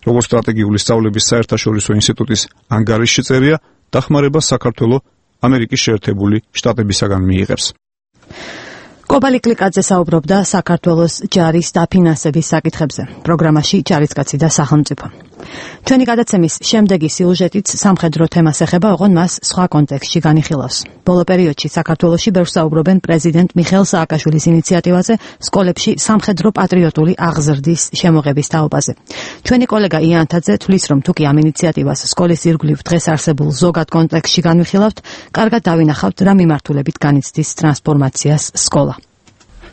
როგორც სტრატეგიული სწავლების საერთაშორისო ინსტიტუტის ანგარიშში წერია, დახმარება საქართველო ამერიკის შეერთებული შტატებისაგან მიიღებს.
კობალი კლიკაძე საუბრობდა საქართველოს ჯარის დაფინანსების საკითხებზე. პროგრამაში ჯარისკაცი და სახელმწიფო. ჩვენი გადაცემის შემდეგი სიუჟეტიც სამხედრო თემას ეხება, ოღონდ მას სხვა კონტექსტში განიხილავს. ბოლო პერიოდში საქართველოში ბევრს საუბრობენ პრეზიდენტ მიხეილ სააკაშვილის ინიციატივაზე სკოლებში სამხედრო პატრიოტული აღზრდის შემოღების თაობაზე. ჩვენი კოლეგა იანთაძე თვლის, რომ თუკი ამ ინიციატივას სკოლის ირგვლივ დღეს არსებულ ზოგად კონტექსტში განვიხილავთ, კარგად დავინახავთ რა მიმართულებით განიცდის ტრანსფორმაციას სკოლა.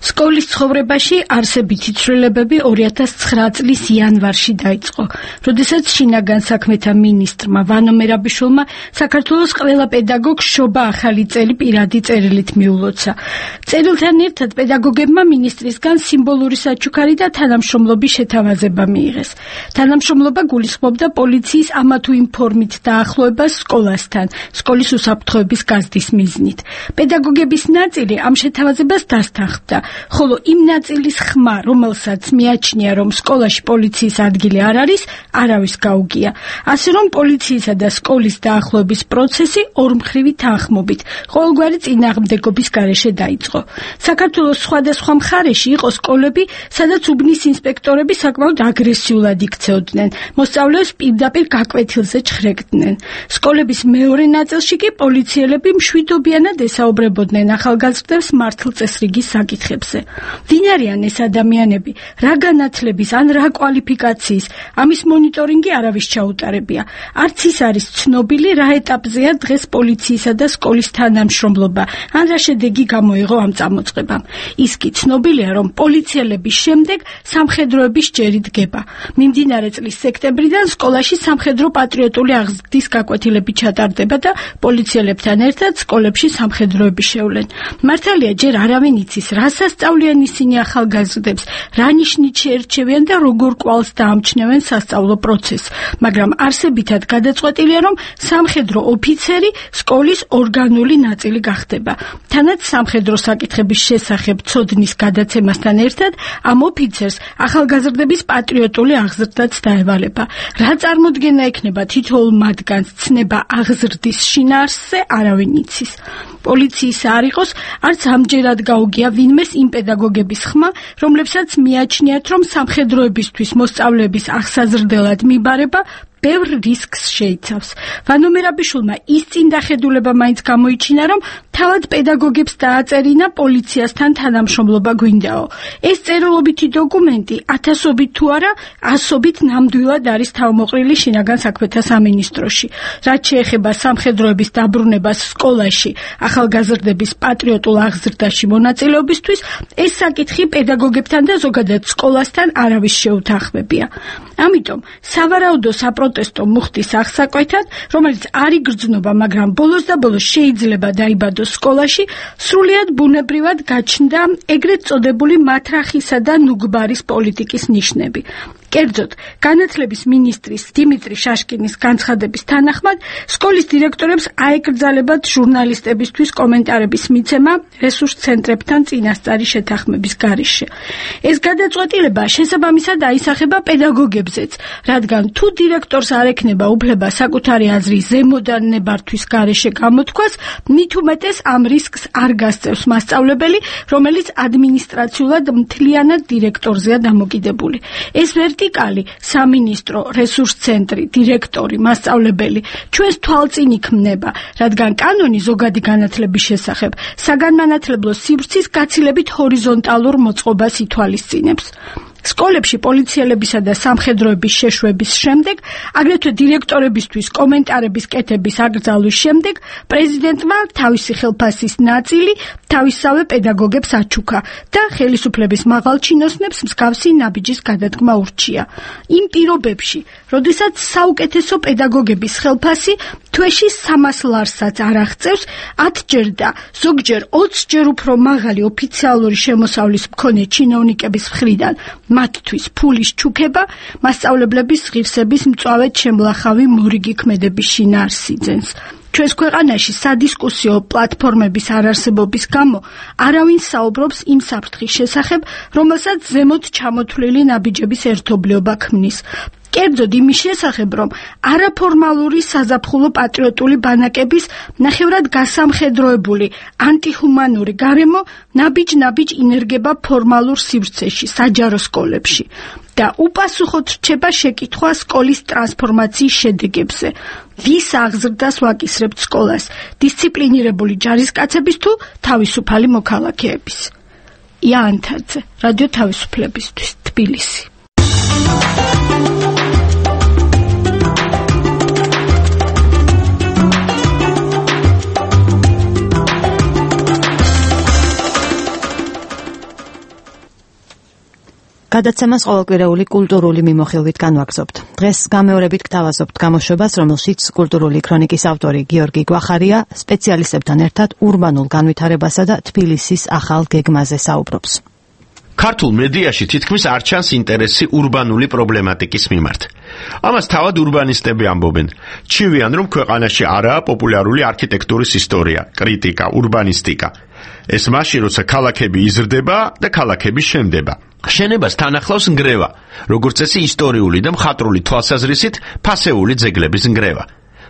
სკოლის ცხოვრებაში არსებითი ცვლილებები 2009 წლის იანვარში დაიწყო, როდესაც შინაგან საქმეთა მინისტრმა ვანო მერაბიშვილმა საქართველოს ყველა პედაგოგს შობა ახალი წელი პირადი წერილით მიულოცა. წერილთან ერთად პედაგოგებმა მინისტრისგან სიმბოლური საჩუქარი და თანამშრომლობის შეთავაზება მიიღეს. თანამშრომლობა გულისხმობდა პოლიციის ამა თუ იმ ფორმით დაახლოებას სკოლასთან, სკოლის უსაფრთხოების გაზრდის მიზნით. პედაგოგების ნაწილი ამ შეთავაზებას დასთანხმდა. ხოლო იმ ნაწილის ხმა, რომელსაც მიაჩნია, რომ სკოლაში პოლიციის ადგილი არ არის, არავის გაუგია. ასე რომ პოლიციისა და სკოლის დაახლოების პროცესი ორმხრივი თანხმობით, ყოველგვარი წინააღმდეგობის გარეშე დაიწყო. საქართველოს სხვადასხვა მხარეში იყო სკოლები, სადაც უბნის ინსპექტორები საკმაოდ აგრესიულად იქცეოდნენ, მოსწავლეებს პირდაპირ გაკვეთილზე ჩხრეკდნენ. სკოლების მეორე ნაწილში კი პოლიციელები მშვიდობიანად ესაუბრებოდნენ ახალგაზრდებს მართლწესრიგის საკითხებზე. ვინ არიან ეს ადამიანები, რა განათლების ან რა კვალიფიკაციის, ამის მონიტორინგი არავის ჩაუტარებია. არც ის არის ცნობილი, რა ეტაპზეა დღეს პოლიციისა და სკოლის თანამშრომლობა, ან რა შედეგი გამოიღო ამ წამოწყებამ. ის კი ცნობილია, რომ პოლიციელების შემდეგ სამხედროების ჯერი დგება. მიმდინარე წლის სექტემბრიდან სკოლაში სამხედრო პატრიოტული აღზრდის გაკვეთილები ჩატარდება და პოლიციელებთან ერთად სკოლებში სამხედროები შევლენ. მართალია, ჯერ არავინ იცის, რას ასწავლიან ისინი ახალგაზრდებს, რა ნიშნით შეერჩევიან და როგორ კვალს დაამჩნევენ სასწავლო პროცესს, მაგრამ არსებითად გადაწყვეტილია, რომ სამხედრო ოფიცერი სკოლის ორგანული ნაწილი გახდება. თანაც სამხედრო საკითხების შესახებ ცოდნის გადაცემასთან ერთად ამ ოფიცერს ახალგაზრდების პატრიოტული აღზრდაც დაევალება. რა წარმოდგენა ექნება თითოეულ მათგანს ცნება აღზრდის შინაარსზე, არავინ იცის. პოლიციის არ იყოს, არც ამჯერად გაუგია ვინმეს იმ პედაგოგების ხმა, რომლებსაც მიაჩნიათ, რომ სამხედროებისთვის მოსწავლეების აღსაზრდელად მიბარება ბევრ რისკს შეიცავს. ვანო მერაბიშვილმა ის წინდახედულება მაინც გამოიჩინა, რომ თავად პედაგოგებს დააწერინა პოლიციასთან თანამშრომლობა გვინდაო. ეს წერილობითი დოკუმენტი ათასობით თუ არა, ასობით ნამდვილად არის თავმოყრილი შინაგან საქმეთა სამინისტროში. რაც შეეხება სამხედროების დაბრუნებას სკოლაში, ახალგაზრდების პატრიოტულ აღზრდაში მონაწილეობისთვის, ეს საკითხი პედაგოგებთან და ზოგადად სკოლასთან არავის შეუთანხმებია. ამიტომ სავარაუდო საპროტესტო მუხტის აღსაკვეთად, რომელიც არ იგრძნობა, მაგრამ ბოლოს და ბოლოს შეიძლება დაიბადოს სკოლაში, სრულიად ბუნებრივად გაჩნდა ეგრეთ წოდებული მათრახისა და ნუგბარის პოლიტიკის ნიშნები. კერძოდ, განათლების მინისტრის დიმიტრი შაშკინის განცხადების თანახმად, სკოლის დირექტორებს აეკრძალებათ ჟურნალისტებისთვის კომენტარების მიცემა რესურს ცენტრებთან წინასწარი შეთანხმების გარეშე. ეს გადაწყვეტილება შესაბამისად აისახება პედაგოგებზეც, რადგან თუ დირექტორს არ ექნება უფლება საკუთარი აზრის ზემოდან ნებართვის გარეშე გამოთქვას, მით უმეტეს ამ რისკს არ გასწევს მასწავლებელი, რომელიც ადმინისტრაციულად მთლიანად დირექტორზეა დამოკიდებული. ეს ვერტიკალი, სამინისტრო, რესურს ცენტრი, დირექტორი, მასწავლებელი, ჩვენს თვალწინ იქმნება, რადგან კანონი ზოგადი განათლების შესახებ საგანმანათლებლო სივრცის გაცილებით ჰორიზონტალურ მოწყობას ითვალისწინებს. სკოლებში პოლიციელებისა და სამხედროების შეშვების შემდეგ, აგრეთვე დირექტორებისთვის კომენტარების კეთების აკრძალვის შემდეგ, პრეზიდენტმა თავისი ხელფასის ნაწილი თავისსავე პედაგოგებს აჩუქა და ხელისუფლების მაღალ ჩინოსნებს მსგავსი ნაბიჯის გადადგმა ურჩია. იმ პირობებში, როდესაც საუკეთესო პედაგოგების ხელფასი თვეში 300 ლარსაც არ აღწევს, 10ჯერ და ზოგჯერ 20ჯერ უფრო მაღალი ოფიციალური შემოსავლის მქონე ჩინოვნიკების მხრიდან მათთვის ფულის ჩუქება მასწავლებლების ღირსების მწვავედ შემლახავი მორიგი ქმედების შინაარსიძენს. ჩვენს ქვეყანაში სადისკუსიო პლატფორმების არარსებობის გამო არავინ საუბრობს იმ საფრთხის შესახებ, რომელსაც ზემოთ ჩამოთვლილი ნაბიჯების ერთობლიობა ქმნის. კერძოდ იმის შესახებ, რომ არაფორმალური საზაფხულო პატრიოტული ბანაკების ნახევრად გასამხედროებული ანტიჰუმანური გარემო ნაბიჯ-ნაბიჯ ინერგება ფორმალურ სივრცეში, საჯარო სკოლებში და უპასუხოდ რჩება შეკითხვა სკოლის ტრანსფორმაციის შედეგებზე. ვის აღზრდას ვაკისრებთ სკოლას, დისციპლინირებული ჯარისკაცების თუ თავისუფალი მოქალაქეების? იანთაძე, რადიო თავისუფლებისთვის, თბილისი.
გადაცემას ყოველკვირეული კულტურული მიმოხილვით განვაგრძობთ. დღეს გამეორებით გთავაზობთ გამოშვებას, რომელშიც კულტურული ქრონიკის ავტორი გიორგი გვახარია სპეციალისტებთან ერთად ურბანულ განვითარებასა და თბილისის ახალ გეგმაზე საუბრობს.
ქართულ მედიაში თითქმის არ ჩანს ინტერესი ურბანული პრობლემატიკის მიმართ. ამას თავად ურბანისტები ამბობენ. ჩივიან, რომ ქვეყანაში არაა პოპულარული არქიტექტურის ისტორია, კრიტიკა, ურბანისტიკა. ეს მაშინ, როცა ქალაქები იზრდება და ქალაქები შენდება. შენებას თან ახლავს ნგრევა, როგორც წესი ისტორიული და მხატვრული თვალსაზრისით ფასეული ძეგლების ნგრევა.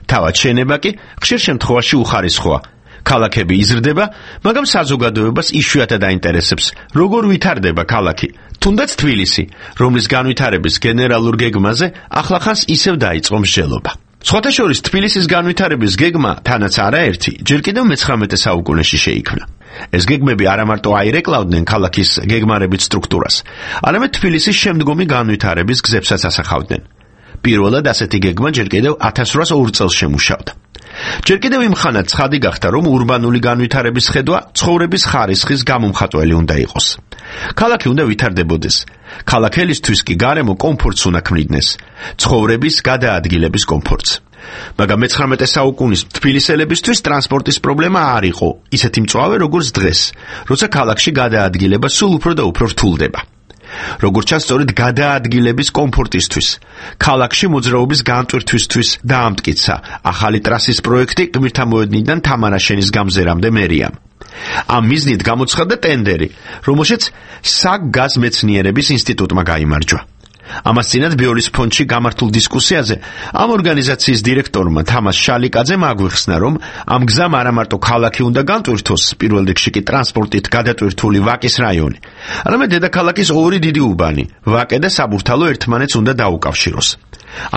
თავად შენება კი ხშირ შემთხვევაში უხარისხოა. ქალაქები იზრდება, მაგრამ საზოგადოებას იშვიათად აინტერესებს, როგორ ვითარდება ქალაქი, თუნდაც თბილისი, რომლის განვითარების გენერალურ გეგმაზე ახლახანს ისევ დაიწყო მსჯელობა. სხვათა შორის თბილისის განვითარების გეგმა თანაც არაერთი, ჯერ კიდევ მე-19 საუკუნეში შეიქმნა. ეს გეგმები არა მარტო აირეკლავდნენ ქალაქის გეგმარებით სტრუქტურას, არამედ თბილისის შემდგომი განვითარების გზებსაც ასახავდნენ. პირველად ასეთი გეგმა ჯერ კიდევ 1802 წელს შემუშავდა. ჯერ კიდევ იმ ხანად ცხადი გახდა, რომ ურბანული განვითარების ხედვა ცხოვრების ხარისხის გამომხატველი უნდა იყოს. ქალაქი უნდა ვითარდებოდეს. ქალაქელისთვის კი გარემო კომფორტს უნდა ქმნიდეს, ცხოვრების გადაადგილების კომფორტს. მაგრამ მე-19 საუკუნის თბილისელებისთვის ტრანსპორტის პრობლემა არ იყო ისეთი მწვავე, როგორც დღეს, როცა ქალაქში გადაადგილება სულ უფრო და უფრო რთულდება. როგორც ჩანს, სწორედ გადაადგილების კომფორტისთვის, ქალაქში მოძრაობის განტვირთვისთვის დაამტკიცა ახალი ტრასის პროექტი გმირთამოედნიდან თამარაშენის გამზერამდე მერიამ. ამ მიზნით გამოცხადდა ტენდერი, რომელშიც საგგაზ მეცნიერების ინსტიტუტმა გაიმარჯვა. ამას წინათ ბიოლის ფონდში გამართულ დისკუსიაზე ამ ორგანიზაციის დირექტორმა თამას შალიკაძემ აგვიხსნა, რომ ამ გზამ არა მარტო ქალაქი უნდა განტვირთოს, პირველ რიგში კი ტრანსპორტით გადატვირთული ვაკის რაიონი, არამედ დედაქალაქის ორი დიდი უბანი, ვაკე და საბურთალო ერთმანეთს უნდა დაუკავშიროს.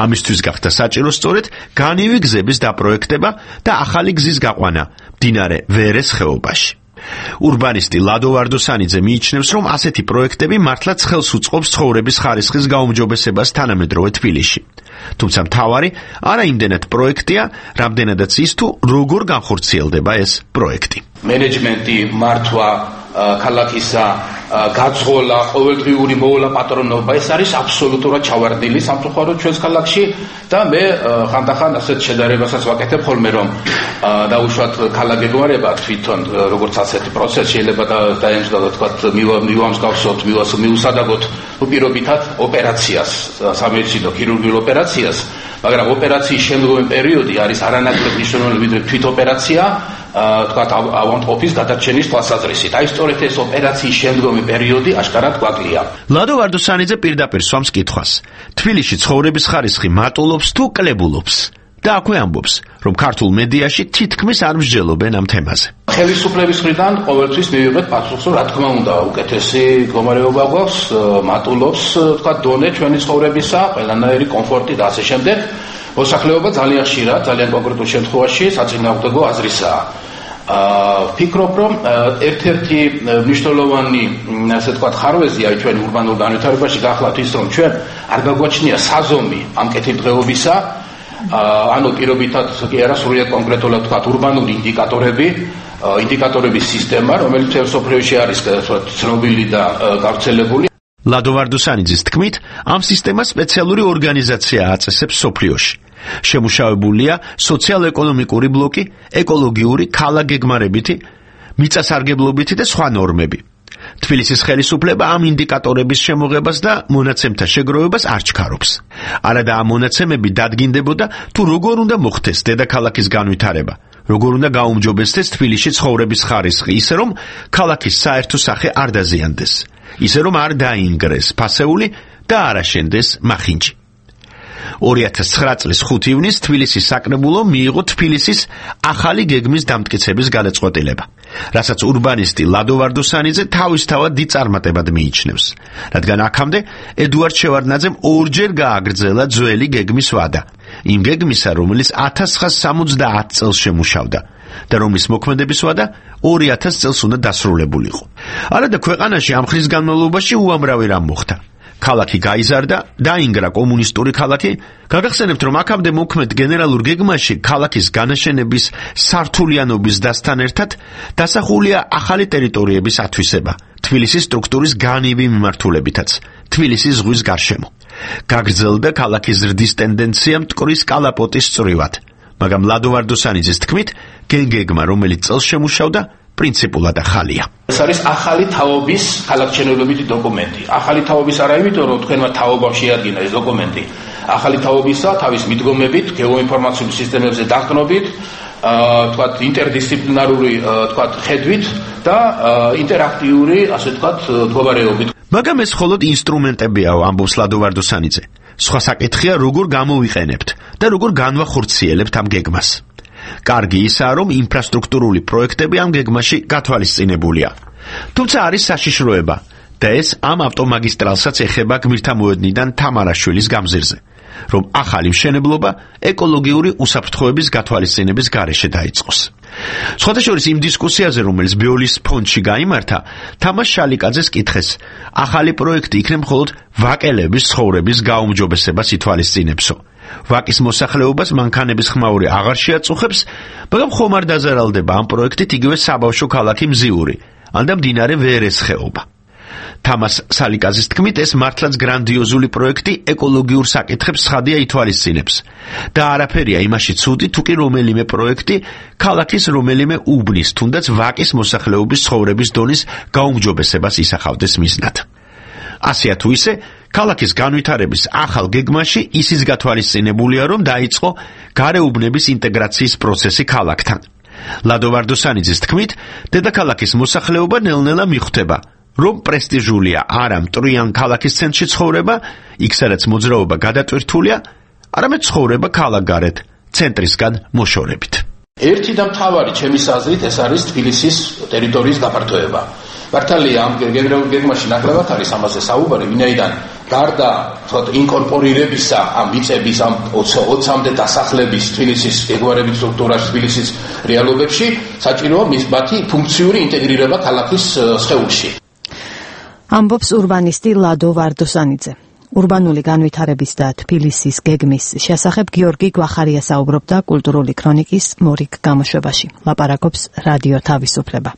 ამისთვის გახდა საჭირო სწორედ განივი გზების დაპროექტება და ახალი გზის გაყვანა მდინარე ვერეს ხეობაში. ურბანისტი ლადო ვარდოსანიძე მიიჩნევს, რომ ასეთი პროექტები მართლაც ხელს უწყობს ცხოვრების ხარისხის გაუმჯობესებას თანამედროვე თბილისში. თუმცა მთავარი არა იმდენად პროექტია, რამდენადაც ის თუ როგორ განხორციელდება ეს პროექტი.
მენეჯმენტი, მართვა ქალაქისა გაძღოლა, ყოველდღიური მოულა პატრონობა, ეს არის აბსოლუტურად ჩავარდნილი სამწუხაროდ ჩვენს ქალაქში და მე ხანდახან ასეთ შედარებასაც ვაკეთებ ხოლმე, რომ დაუშვათ ქალაქგეგმარება თვითონ როგორც ასეთი პროცესი შეიძლება დაემსგავსოთ, თქვა მივამსგავსოთ, მიუსადაგოთ უპირობითად ოპერაციას, სამედიცინო ქირურგიულ ოპერაციას, მაგრამ ოპერაციის შემდგომი პერიოდი არის არანაკლებ მნიშვნელოვანი ვიდრე თვით ოპერაცია, თქვა ავანტყოფის გადარჩენის თვალსაზრისით. აი სწორედ ეს ოპერაციის შემდგომი პერიოდი აშკარად გვაკლია.
ლადო ვარდუსანიძე პირდაპირ სვამს კითხვას. თბილისში ცხოვრების ხარისხი მატულობს თუ კლებულობს? და აქვე ამბობს, რომ ქართულ მედიაში თითქმის არ მსჯელობენ ამ თემაზე.
ხელისუფლების მხრიდან ყოველთვის მივიღეთ პასუხს, რომ რა თქმა უნდა, უკეთესი მდგომარეობა გვაქვს, მატულობს, თქვა დონე ჩვენი ცხოვრებისა, ყველანაირი კომფორტი და ასე შემდეგ. მოსახლეობა ძალიან ხშირად, ძალიან კონკრეტულ შემთხვევაში საწინააღმდეგო აზრისაა. ვფიქრობ, რომ ერთ-ერთი მნიშვნელოვანი, ასე ვთქვათ, ხარვეზია ჩვენ ურბანულ განვითარებაში გახლავთ ის, რომ ჩვენ არ გაგვაჩნია საზომი ამ კეთილდღეობისა, ანუ პირობითად კი არა სრულიად კონკრეტულად ვთქვათ, ურბანული ინდიკატორების სისტემა, რომელიც მსოფლიოში არის ცნობილი და გავრცელებული.
ლადო ვარდუსანიძის თქმით, ამ სისტემას სპეციალური ორგანიზაცია აწესებს მსოფლიოში. შემუშავებულია სოციალ-ეკონომიკური ბლოკი, ეკოლოგიური, ქალაქგეგმარებითი, მიწასარგებლობითი და სხვა ნორმები. თბილისის ხელისუფლება ამ ინდიკატორების შემოღებას და მონაცემთა შეგროვებას არ ჩქარობს. არადა ამ მონაცემები დადგინდებოდა, თუ როგორ უნდა მოხდეს დედაქალაქის განვითარება, როგორ უნდა გაუმჯობესდეს თბილისში ცხოვრების ხარისხი, ისე რომ ქალაქის საერთო სახე არ დაზიანდეს, ისე რომ არ დაინგრეს ფასეული და არ აშენდეს მახინჯი. 2009 წლის 5 ივნისს თბილისის საკრებულომ მიიღო თბილისის ახალი გეგმის დამტკიცების გადაწყვეტილება, რასაც ურბანისტი ლადო ვარდუსანიძე თავისთავად დიდ წარმატებად მიიჩნევს, რადგან აქამდე ედუარდ შევარდნაძემ ორჯერ გააგრძელა ძველი გეგმის ვადა, იმ გეგმისა, რომელიც 1970 წელს შემუშავდა და რომლის მოქმედების ვადა 2000 წელს უნდა დასრულებულიყო. არადა ქვეყანაში ამ ხნის განმავლობაში უამრავი რამ მოხდა. ქალაქი გაიზარდა, დაინგრა კომუნისტური ქალაქი. გაგახსენებთ, რომ აქამდე მოქმედ გენერალურ გეგმაში ქალაქის განაშენების სართულიანობის დასთან ერთად დასახულია ახალი ტერიტორიების ათვისება, თბილისის სტრუქტურის განივი მიმართულებითაც, თბილისის ზღვის გარშემო. გაგრძელდა ქალაქის ზრდის ტენდენცია მტკვრის კალაპოტის წვრივად, მაგრამ ლადო ვარდუსანიძის თქმით, გეგმა, რომელიც წელს შემუშავდა, პრინციპულად ახალია.
ეს არის ახალი თაობის ქალაქმშენებლობითი დოკუმენტი. ახალი თაობის არა იმიტომ, რომ თქვენმა თაობამ შეადგინა ეს დოკუმენტი. ახალი თაობისა თავის მიდგომებით, გეოინფორმაციული სისტემებზე დახდნობით, თქვათ ინტერდისციპლინარული, თქვათ ხედვით და ინტერაქტიული, ასე თქვათ, მდგომარეობით.
მაგრამ ეს მხოლოდ ინსტრუმენტებია, ამბობს ლადო ვარდუსანიძე. სხვა საკითხია, როგორ გამოვიყენებთ და როგორ განვახორციელებთ ამ გეგმას. კარგი ისაა, რომ ინფრასტრუქტურული პროექტები ამ გეგმაში გათვალისწინებულია. თუმცა არის საშიშროება და ეს ამ ავტომაგისტრალსაც ეხება გმირთა მოედნიდან თამარაშვილის გამზირზე, რომ ახალი მშენებლობა ეკოლოგიური უსაფრთხოების გათვალისწინების გარეშე დაიწყოს. სხვათა შორის იმ დისკუსიაზე, რომელიც ბიოლის ფონდში გაიმართა, თამაშ შალიკაძეს კითხეს, ახალი პროექტი იქნება მხოლოდ ვაკელების ცხოვრების გაუმჯობესებას ითვალისწინებსო. ვაკის მოსახლეობას მანქანების ხმაური აღარ შეაწუხებს, მაგრამ ხომ არ დაზარალდება ამ პროექტით იგივე საბავშვო ქალაქი მზიური, ან და მდინარე ვერეს ხეობა. თამას სალიკაზის თქმით, ეს მართლაც გრანდიოზული პროექტი ეკოლოგიურ საკითხებს ცხადია ითვალისწინებს და არაფერია იმაში ცუდი, თუ კი რომელიმე პროექტი ქალაქის რომელიმე უბნის, თუნდაც ვაკის მოსახლეობის ცხოვრების დონის გაუმჯობესებას ისახავდეს მიზნად. ასეა თუ ისე, ქალაქის განვითარების ახალ გეგმაში ისიც გათვალისწინებულია, რომ დაიწყო გარეუბნების ინტეგრაციის პროცესი ქალაქთან. ლადო ვარდუსანიძის თქმით, დედაქალაქის მოსახლეობა ნელ-ნელა მიხვდება, რომ პრესტიჟულია არა მტრიან ქალაქის ცენტრში ცხოვრება, იქ სადაც მოძრაობა გადატვირთულია, არამედ ცხოვრება ქალაქგარეთ, ცენტრისგან მოშორებით.
ერთი და მთავარი ჩემის აზრით ეს არის თბილისის ტერიტორიის გაფართოება. მართალია ამ გეგმაში ნაკლებად არის ამაზე საუბარი, ვინაიდან გარდა ინკორპორირებისა ამ მიწების ამ 20-მდე დასახლების თბილისის გეგმარებით სტრუქტურაში, თბილისის რეალობებში, საჭიროა მათი ფუნქციური ინტეგრირება ქალაქის სხეულში.
ამბობს ურბანისტი ლადო ვარდუსანიძე. ურბანული განვითარების და თბილისის გეგმის შესახებ გიორგი გვახარია საუბრობდა კულტურული ქრონიკის მორიგ გამოშვებაში. ლაპარაკობს რადიო თავისუფლება.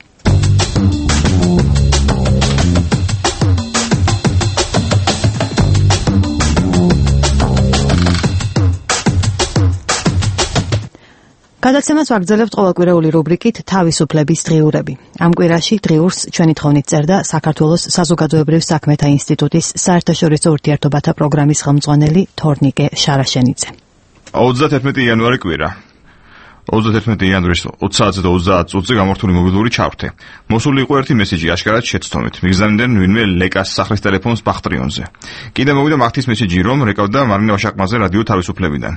გადაცემას ვაგრძელებთ ყოველკვირეული რუბრიკით თავისუფლების დღიურები. ამ კვირაში დღიურს ჩვენი თხოვნით წერდა საქართველოს საზოგადოებრივ საქმეთა ინსტიტუტის საერთაშორისო ურთიერთობათა პროგრამის ხელმძღვანელი თორნიკე შარაშენიძე.
31 იანვარი კვირა. 31 იანვრის 20 საათზე და 30 წუთზე გამართული მობილური ჩავრთე. მოსული იყო ერთი მესიჯი აშკარად შეცდომით. მიგზავნდნენ ვინმე ლეკას სახლის ტელეფონს ბახტრიონზე. კიდე მოვიდა მახთის მესიჯი, რომ რეკავდა მარინა ვაშაკმაძე რადიო თავისუფლებიდან.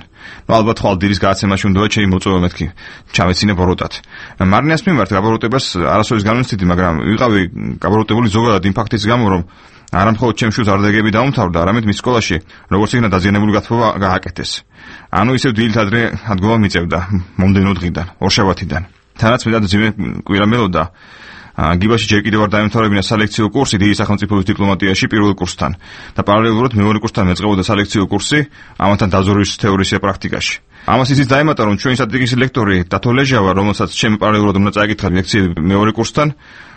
ალბათ ხვალ დილის გადაცემაში უნდა ჩემი მოწვევა მეთქი. ჩამეცინე ბოროტად. მარინას მიმართ გაბოროტებას არასოდეს განვიცდიდი, მაგრამ ვიყავი გაბოროტებული ზოგადად იმ ფაქტის გამო, რომ არა მხოლოდ ჩემს შვილს არდაგები დაუმთავრდა, არამედ მის სკოლაში როგორც იქნა დაზიანებული გათხოვა გააკეთეს. ანუ ისევ დილით ადრე ადგომა მიწევდა მომდენო დღიდან, ორშაბათიდან. თანაც მეტად ძიმე კვირა მელოდა. გიბაში ჯერ კიდევ არ დაემთავრებინა სალექციო კურსი დიდი სახელმწიფოების დიპლომატიაში პირველ კურსთან და პარალელურად მეორე კურსთან მეწყებოდა სალექციო კურსი ამათთან დაზვერვის თეორიისა პრაქტიკაში. ამას ისიც დაემატა, რომ ჩვენი სტრატეგიის ლექტორი დათო ლეჟავა, რომელსაც ჩემი პარალელურად უნდა წაიკითხა ლექციები მეორე კურსთან,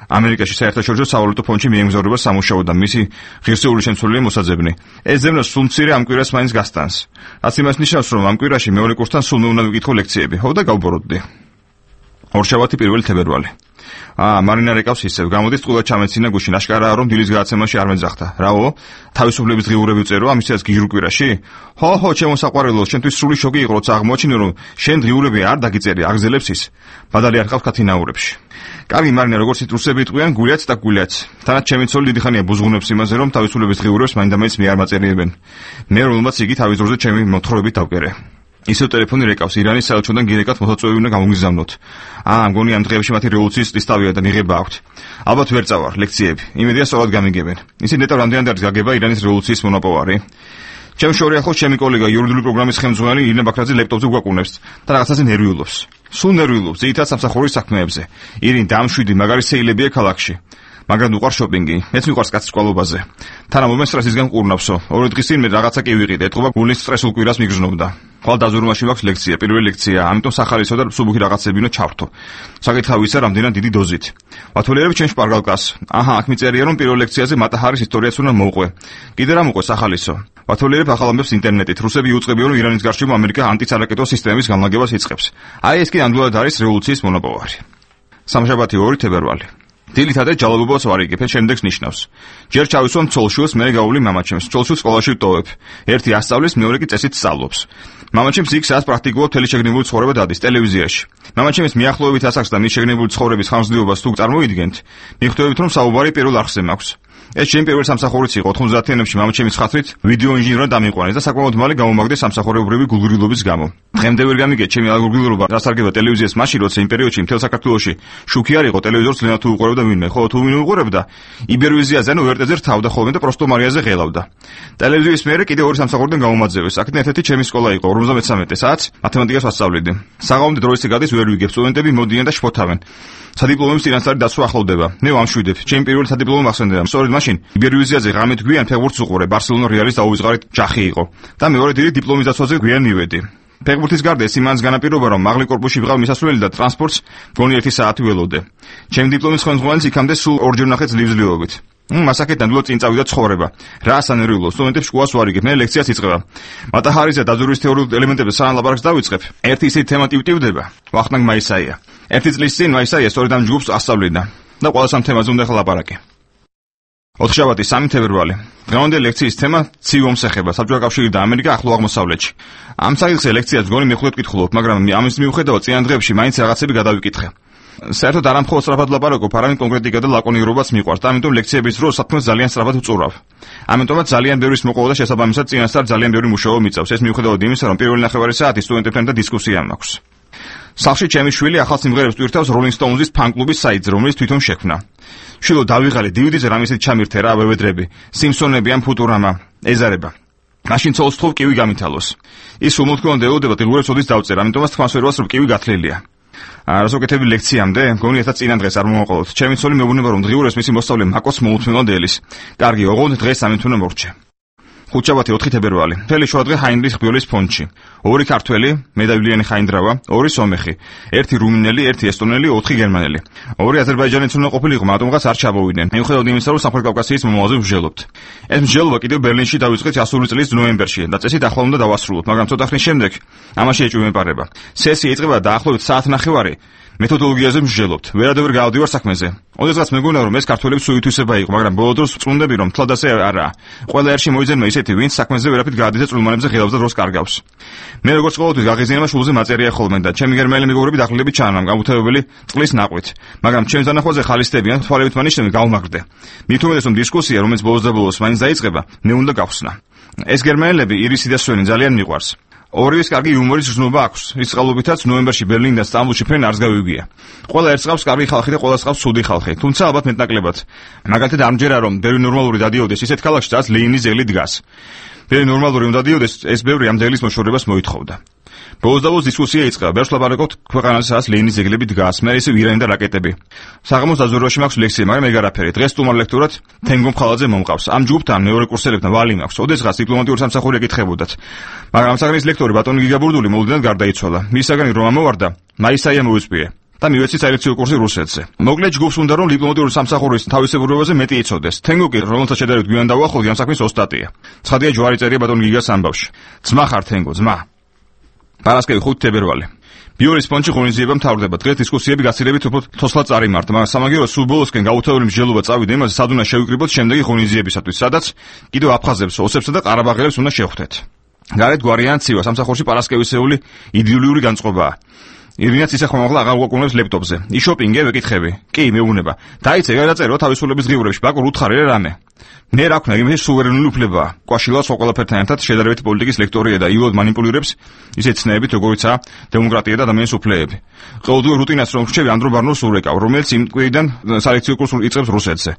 ამერიკაში საერთაშორისო სავალუტო ფონდში მიემგზავრება სამუშაოდ და მისი ღირსეული შემცველია მოსაძებნი. ეს ზემნა სულ მცირე ამ კვირას მაინც გასტანს. რაც იმას ნიშნავს, რომ ამ კვირაში მეორე კურსთან სულ უნდა ვიკითხო ლექციები. ხო და გავბოროტდი. ორშაბათი 1 თებერვალი. მარინა რეკავს ისევ, გამოდის წყულად ჩამეცინა გუშინ, აშკარაა რომ დილის გადაცემაში არ მეძახდა. რაო? თავისუფლების დღიურები ვწერო ამისაც გიჟურ კვირაში? ხო, ჩემო საყვარელო, შენთვის სრული შოკი იყო, როცა აღმოაჩინე, რომ შენ დღიურები არ დაგიწერი, აგზელებს ის. ბადალი არ ყავს კათინაურებში. კარგი მარინა, როგორც ციტრუსები იტყვიან, გულიაც და გულიაც. თანაც ჩემი ცოლი დიდი ხანია ბუზღუნებს იმაზე, რომ თავისუფლების დღიურებს მაინდა-მაინც მე არ მაწერიებენ. მე რომელმაც იგი თავის დროზე ჩემი მოთხრობებით დავკერე. ისევ ტელეფონი რეკავს, ირანის საელჩოდან გირეკად მოხაწვევი უნდა გამოგიზავნოთ. მგონი ამ დღეებში მათი რევოლუციის წლისთავია და მიღება აქვთ. ალბათ ვერ წავარ ლექციები. იმედია სწორად გამიგებენ. ისინი ნეტავ რამდენად არის გაგება ირანის რევოლუციის მონაპოვარი. ჩემ შორია ხო ჩემი კოლეგა იურიდიული პროგრამის ხელმძღვანელი ირინა ბაქრაძე ლეპტოპზე გვაკუნებს და რაღაცაზე ნერვიულობს. სულ ნერვიულობს, ძირითადად სამსახურის საქმეებზე. ირინ დამშვიდი, მაგარი სეილებია ქალაქში. მაგრამ უყარ შოპინგი. მეც მიყვარს კაცის კვალობაზე. თანამ მომეს სტრესისგან ყურნავსო. ორი დღის წინ მე რაღაცა კი ვიყიდე. ეთყობა გულის სტრესულ კვირას მიგრძნობდა. ხვალ დაზვერვაში მაქვს ლექცია, პირველი ლექცია, ამიტომ სახალისო და მსუბუქი რაღაცები უნდა ჩავრთო. საკითხავი ისა რამდენად დიდი დოზით. ვათვალიერებ ჩემ შპარგალკას. აქ მიწერია რომ პირველ ლექციაზე მატაჰარის ისტორიაც უნდა მოვყვე. კიდე რა მოყვე სახალისო? ვათვალიერებ ახალ ამბებს ინტერნეტით. რუსები იუწყებიან რომ ირანის გარშემო ამერიკა ანტისარაკეტო სისტემის განლაგებას იწყებს. ეს კი ნამდვილად არის რევოლუციის მონაპოვარი. სამშაბათი 2 თებერვალი. დილით ადრე ჯალობობას ვარიგებ, შემდეგს ნიშნავს. ჯერ ჩავისვამ ცოლშვილს, მე გავავლი მამაჩემს. ცოლშვილს სკოლაში ვტოვებ. ერთი ასწავლის, მეორე კი წესით სწავლობს. მამაჩემს იქ სადაც პრაქტიკულად მთელი შეგნებული ცხოვრება დადის ტელევიზიაში. მამაჩემის მიახლოებით ასახს და მის შეგნებული ცხოვრების ხანგრძლივობას თუ წარმოიდგენთ, მიხვდებით რომ საუბარი პირველ არხზე მაქვს. ეს ჩემი პირველი სამსახურიც იყო 90-იანებში მამაჩემის ხათრით ვიდეო ინჟინერად დამიყვანეს და საკმაოდ მალე გამომაგდეს სამსახურებრივი გულგრილობის გამო. დღემდე ვერ გამიგე ჩემი გულგრილობა დასარგება ტელევიზიას მაშინ როცა იმ პერიოდში მთელ საქართველოში შუქი არ იყო ტელევიზორს ლენა თუ უყურებდა ვინმე, ხო თუ ვინმე უყურებდა იბერვიზიაზე ანუ ვერტეზე რთავდა ხოლმე და პროსტო მარიაზე ღელავდა. ტელევიზიის მერე კიდე ორი სამსახურიდან გამომაძევეს. აქედან ერთ-ერთი ჩემი სკოლა იყო 53 საათს მათემატიკას ვასწავლედი. საღამომდე დროის გადის ვერ ვიგებ, სტუდენტები მოდიან და შფოთავენ. სადიპლომო სტუდენტარი დაცვა ახლოვდება. მე ვამშვიდებ. ჩემი პირველი სადიპლომო მახსენდება. სწორედ მაშინ იბერვიზიაზე ღამით გვიან ფეხბურთს უყურე. ბარსელონა რეალის დაუვიწყარით ჯახი იყო. და მეორე დილით დიპლომის დაცვაზე გვიან მივედი. ფეხბურთის გარდა ეს იმანს განაპირობა რომ მაღალი კორპუსში ვიყავ მისასვლელი და ტრანსპორტს მგონი 1 საათი ველოდე. ჩემი დიპლომის ხელმძღვანელს იქამდე სულ 2 ნახე ძლივს ძლივობით. მასაკეთთან დულო წინ წავიდა ცხოვრება. რა სანერვიულო სტუდენტებს შუას ვარიგებ, მე ლექციას იწყება. მატაჰარის და დაზვერვის თეორიულ ელემენტებზე სანამ ლაპარაკს დავიწყებ. ერთი ისეთი თემა ტივტივდება. ვახტანგ მაისაია. ერთი წლის წინ მაისაია სწორედ ამ ჯგუფს ასწავლიდა და ყველა სამ თემაზე უნდა ხლაპარაკი. 4 შაბათი 3 თებერვალი. დღევანდელი ლექციის თემა ცივ ომს ეხება, საბჭოთა კავშირი და ამერიკა ახლო აღმოსავლეთში. ამ საკითხზე ლექციას მგონი მეხუთად კითხულობ, მაგრამ ამის მიუხედავად წინა დღეებში მაინც რაღაცები გადავიკითხე. საერთოდ არ ამხოლოდ სწრაფად ლაპარაკობ, არამედ კონკრეტიკა და ლაკონიკობაც მიყვარს და ამიტომ ლექციების დროს საქმეს ძალიან სწრაფად ვწურავ. ამიტომაც ძალიან ბევრი მოყოლა და შესაბამისად წინასწარ ძალიან ბევრი მუშაობა მიწევს. ეს მიუხედავად იმისა, რომ პირველი ნახევარი საათი სტუდენტებთან და დისკუსია მაქვს. სახლში ჩემი შვილი ახალ სიმღერებს ტვირთავს Rolling Stones-ის ფან-კლუბის საიტზე, რომელიც თვითონ შექმნა. შვილო დავიღალე DVD-ზე რამისით ჩამირთე რა ვევედრები, სიმსონები ან ფუტურამა, ეზარება. მაშინ ცოლს თხოვ კივი გამითალოს. ის უმოთქვამოდ ელოდება დღეურებს ოდის დავწერ, ამიტომაც თქვას ვერვას რომ კივი გათლილია. რასოკეთები ლექციამდე, მგონი ერთად წინა დღეს არ მომაყოლოთ. ჩემი ცოლი მეუბნება რომ დღეურებს მისი მოსწავლე მაკოს მოუთმენლად ელის. კარგი, ოღონდ დღეს სამეთუნე მორჩე. ხუთშაბათი 4 თებერვალი. მთელი შუადღე ჰაინრიხ ბიოლის ფონდში. 2 ქართველი, მედავილიანი ხაინდრავა, 2 სომეხი, 1 რუმინელი, 1 ესტონელი, 4 გერმანელი. 2 აზერბაიჯანელიც უნდა ყოფილიყო, მაგრამ მას არ ჩამოვიდნენ. მიუხედავად იმისა, რომ სამხრეთ-კავკასიის მომავალზე მსჯელობთ. ეს მსჯელობა კიდევ ბერლინში დავიწყეთ 100 წლის ნოემბერში და წესით ახლა უნდა დავასრულოთ, მაგრამ ცოტა ხნის შემდეგ ამაში ეჭვმეპარება. სესია იწყება დაახლოებით საათნახევარი. მეთოდოლოგიაზე მსჯელობთ. ვერადევერ გავდივარ საქმეზე. ოდესღაც მეგონა რომ ეს ქართველების სუითვისება იყო, მაგრამ ბოლო დროს წუნდები რომ თლად ასე არაა. ყველა ერში მოიძენმა ისეთი, ვინც საქმეზე ვერაფრით გაადის და წვრილმანებზე ღილავს და დროს კარგავს. მე როგორც ყოველთვის გაღიზიანება შულზე მაწერია ხოლმე და ჩემი გერმანელი მეგობრები დახლებით ჩანამ გამუთევებელი წყლის ნაყვით. მაგრამ ჩემს დანახვაზე ხალისდებიან, თვალებით მანიშნები გავმაგრდე. მით უმეტეს რომ დისკუსია, რომელიც ბოლოს და ბოლოს მაინც დაიწყება, მე უნდა გავხსნა. ეს გერმანელები ირისი და სვენი ძალიან მიყვარს. ორივეს კარგი იუმორის გზნობა აქვს. ის წყალობითაც ნოემბერში ბერლინიდან სტამბოლში ფრენ არც გავიგია. ყველა ერთს ყავს კარგი ხალხი და ყველას ყავს ცუდი ხალხი. თუმცა ალბათ მეტნაკლებად. მაგალითად ამჯერა რომ ბევრი ნორმალური დადიოდეს ისეთ ქალაქში, სადაც ლენინის ძეგლი დგას. ბევრი ნორმალური უნდა დადიოდეს, ეს ბევრი ამ ძეგლის მოშორებას მოითხოვდა. ბოლოს და ბოლოს დისკუსია იწყება. ბევრს ლაპარაკობთ ქვეყანაზე, სადაც ლენინის ძეგლები დგას, მე ისე ირანი და რაკეტები. საღამოს დაზვერვაში მაქვს ლექსია, მაგრამ ეგ არაფერი. დღეს სტუმარ ლექტორად თენგო მხალაძე მომყავს. ამ ჯგუფთან მეორე კურსელებთან ვალი მაქვს. ოდესღაც დიპლომატიური სამსახური ეკითხებოდათ. მაგრამ ამ საგნის ლექტორი ბატონი გიგაბურდული მოულოდნელად გარდაიცვალა. მის საგანი რომ ამოვარდა, მაისაია მოუწვია. და მივეცი საელექციო კურსი რუსეთზე. მოკლედ ჯგუფს უნდა რომ დიპლომატიური სამსახურის თავისებურებაზე მეტი იცოდეს. თენგო კი რომელსაც შედარებით გვიან დავუახლოვდი ამ საქმის ოსტატია. ცხადია ჯვარი წერია ბატონ გიგას ამბავში. ძმა ხარ თენგო, ძმა. პარასკევი 5 თებერვალი. ბიორის ფონდში ღონისძიება მთავრდება. დღეს დისკუსიები გაცილებით უფრო თოსლად წარიმართა, მაგრამ სამაგიეროდ სულ ბოლოსკენ გაუთავებელი მსჯელობა წავიდა იმაზე, სად უნდა შევიკრიბოთ შემდეგი ღონისძიებისათვის, სადაც კიდევ აფხაზებს, ოსებსა და ყარაბაღელებს უნდა შევხვდეთ. გარეთ გვარიან ცივა, სამსახურში პარასკევისეული იდილიური განწყობაა. ირინაც ისე ხომაღლა აღარ უყურებს ლეპტოპზე. იშოპინგე ვეკითხები. კი, მეუბნება. დაიცე გადაწერო თავისუფლების ღიურებში, ბაკურ უთხარი რამე. მე რა ვქნა, იმის სუვერენული უფლებაა. კვაშილას ყველაფერთან ერთად შედარებით პოლიტიკის ლექტორია და იულად манипуლირებს ისეთ ცნეებით, როგორიცაა დემოკრატია და ადამიანის უფლებები. ყოველდღიურ რუტინას რომ ვრჩევი ანდრო ბარნოს ურეკავ, რომელიც იმ კვირიდან სალექციო კურსს იწყებს რუსეთზე.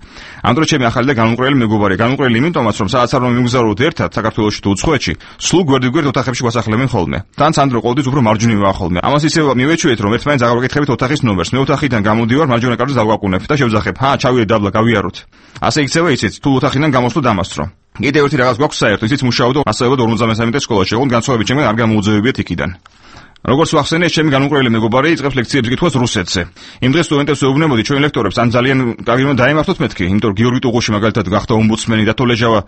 ანდრო ჩემი ახალი და განუყრელი მეგობარია. განუყრელი იმიტომაც, რომ სადაც არ მომიგზავროთ ერთად საქართველოში თუ უცხოეთში, სულ გვერდიგვერდ ოთახებში გვასახლებენ ხოლმე. თან ანდრო ყოველთვის უფრო მარჯვნივაა ხოლმე. ამას ისე მივეჩვიეთ, რომ ერთმანეთს აღარ ვაკითხებით ოთახის ნომერს. მე ოთახიდან გამოდივარ, მარჯვენა კედელს დავაკვუნებ და შევძახებ. ჩავიდეთ დაბლა, გავიაროთ. ასე იქცევა იცით, თუ ოთახიდან გამოსვლა დამასწრო. კიდევ ერთი რაღაც გვაქვს საერთო, ისიც მუშაობ და მასწავლებლად 53 სკოლაში, ოღონდ განსხვავებით ჩემგან არ გამოუძევებიათ იქიდან. როგორც ვახსენე, ჩემი განუყრელი მეგობარი იწყებს ლექციებს კითხვას რუსეთზე. იმ დღეს სტუდენტებს ვეუბნებოდი ჩვენ ლექტორებს, ან ძალიან კარგი უნდა დაემართოთ მეთქი, იმიტომ რომ გიორგი ტუღუში მაგალითად გახდა ომბუდსმენი და თოლეჟავა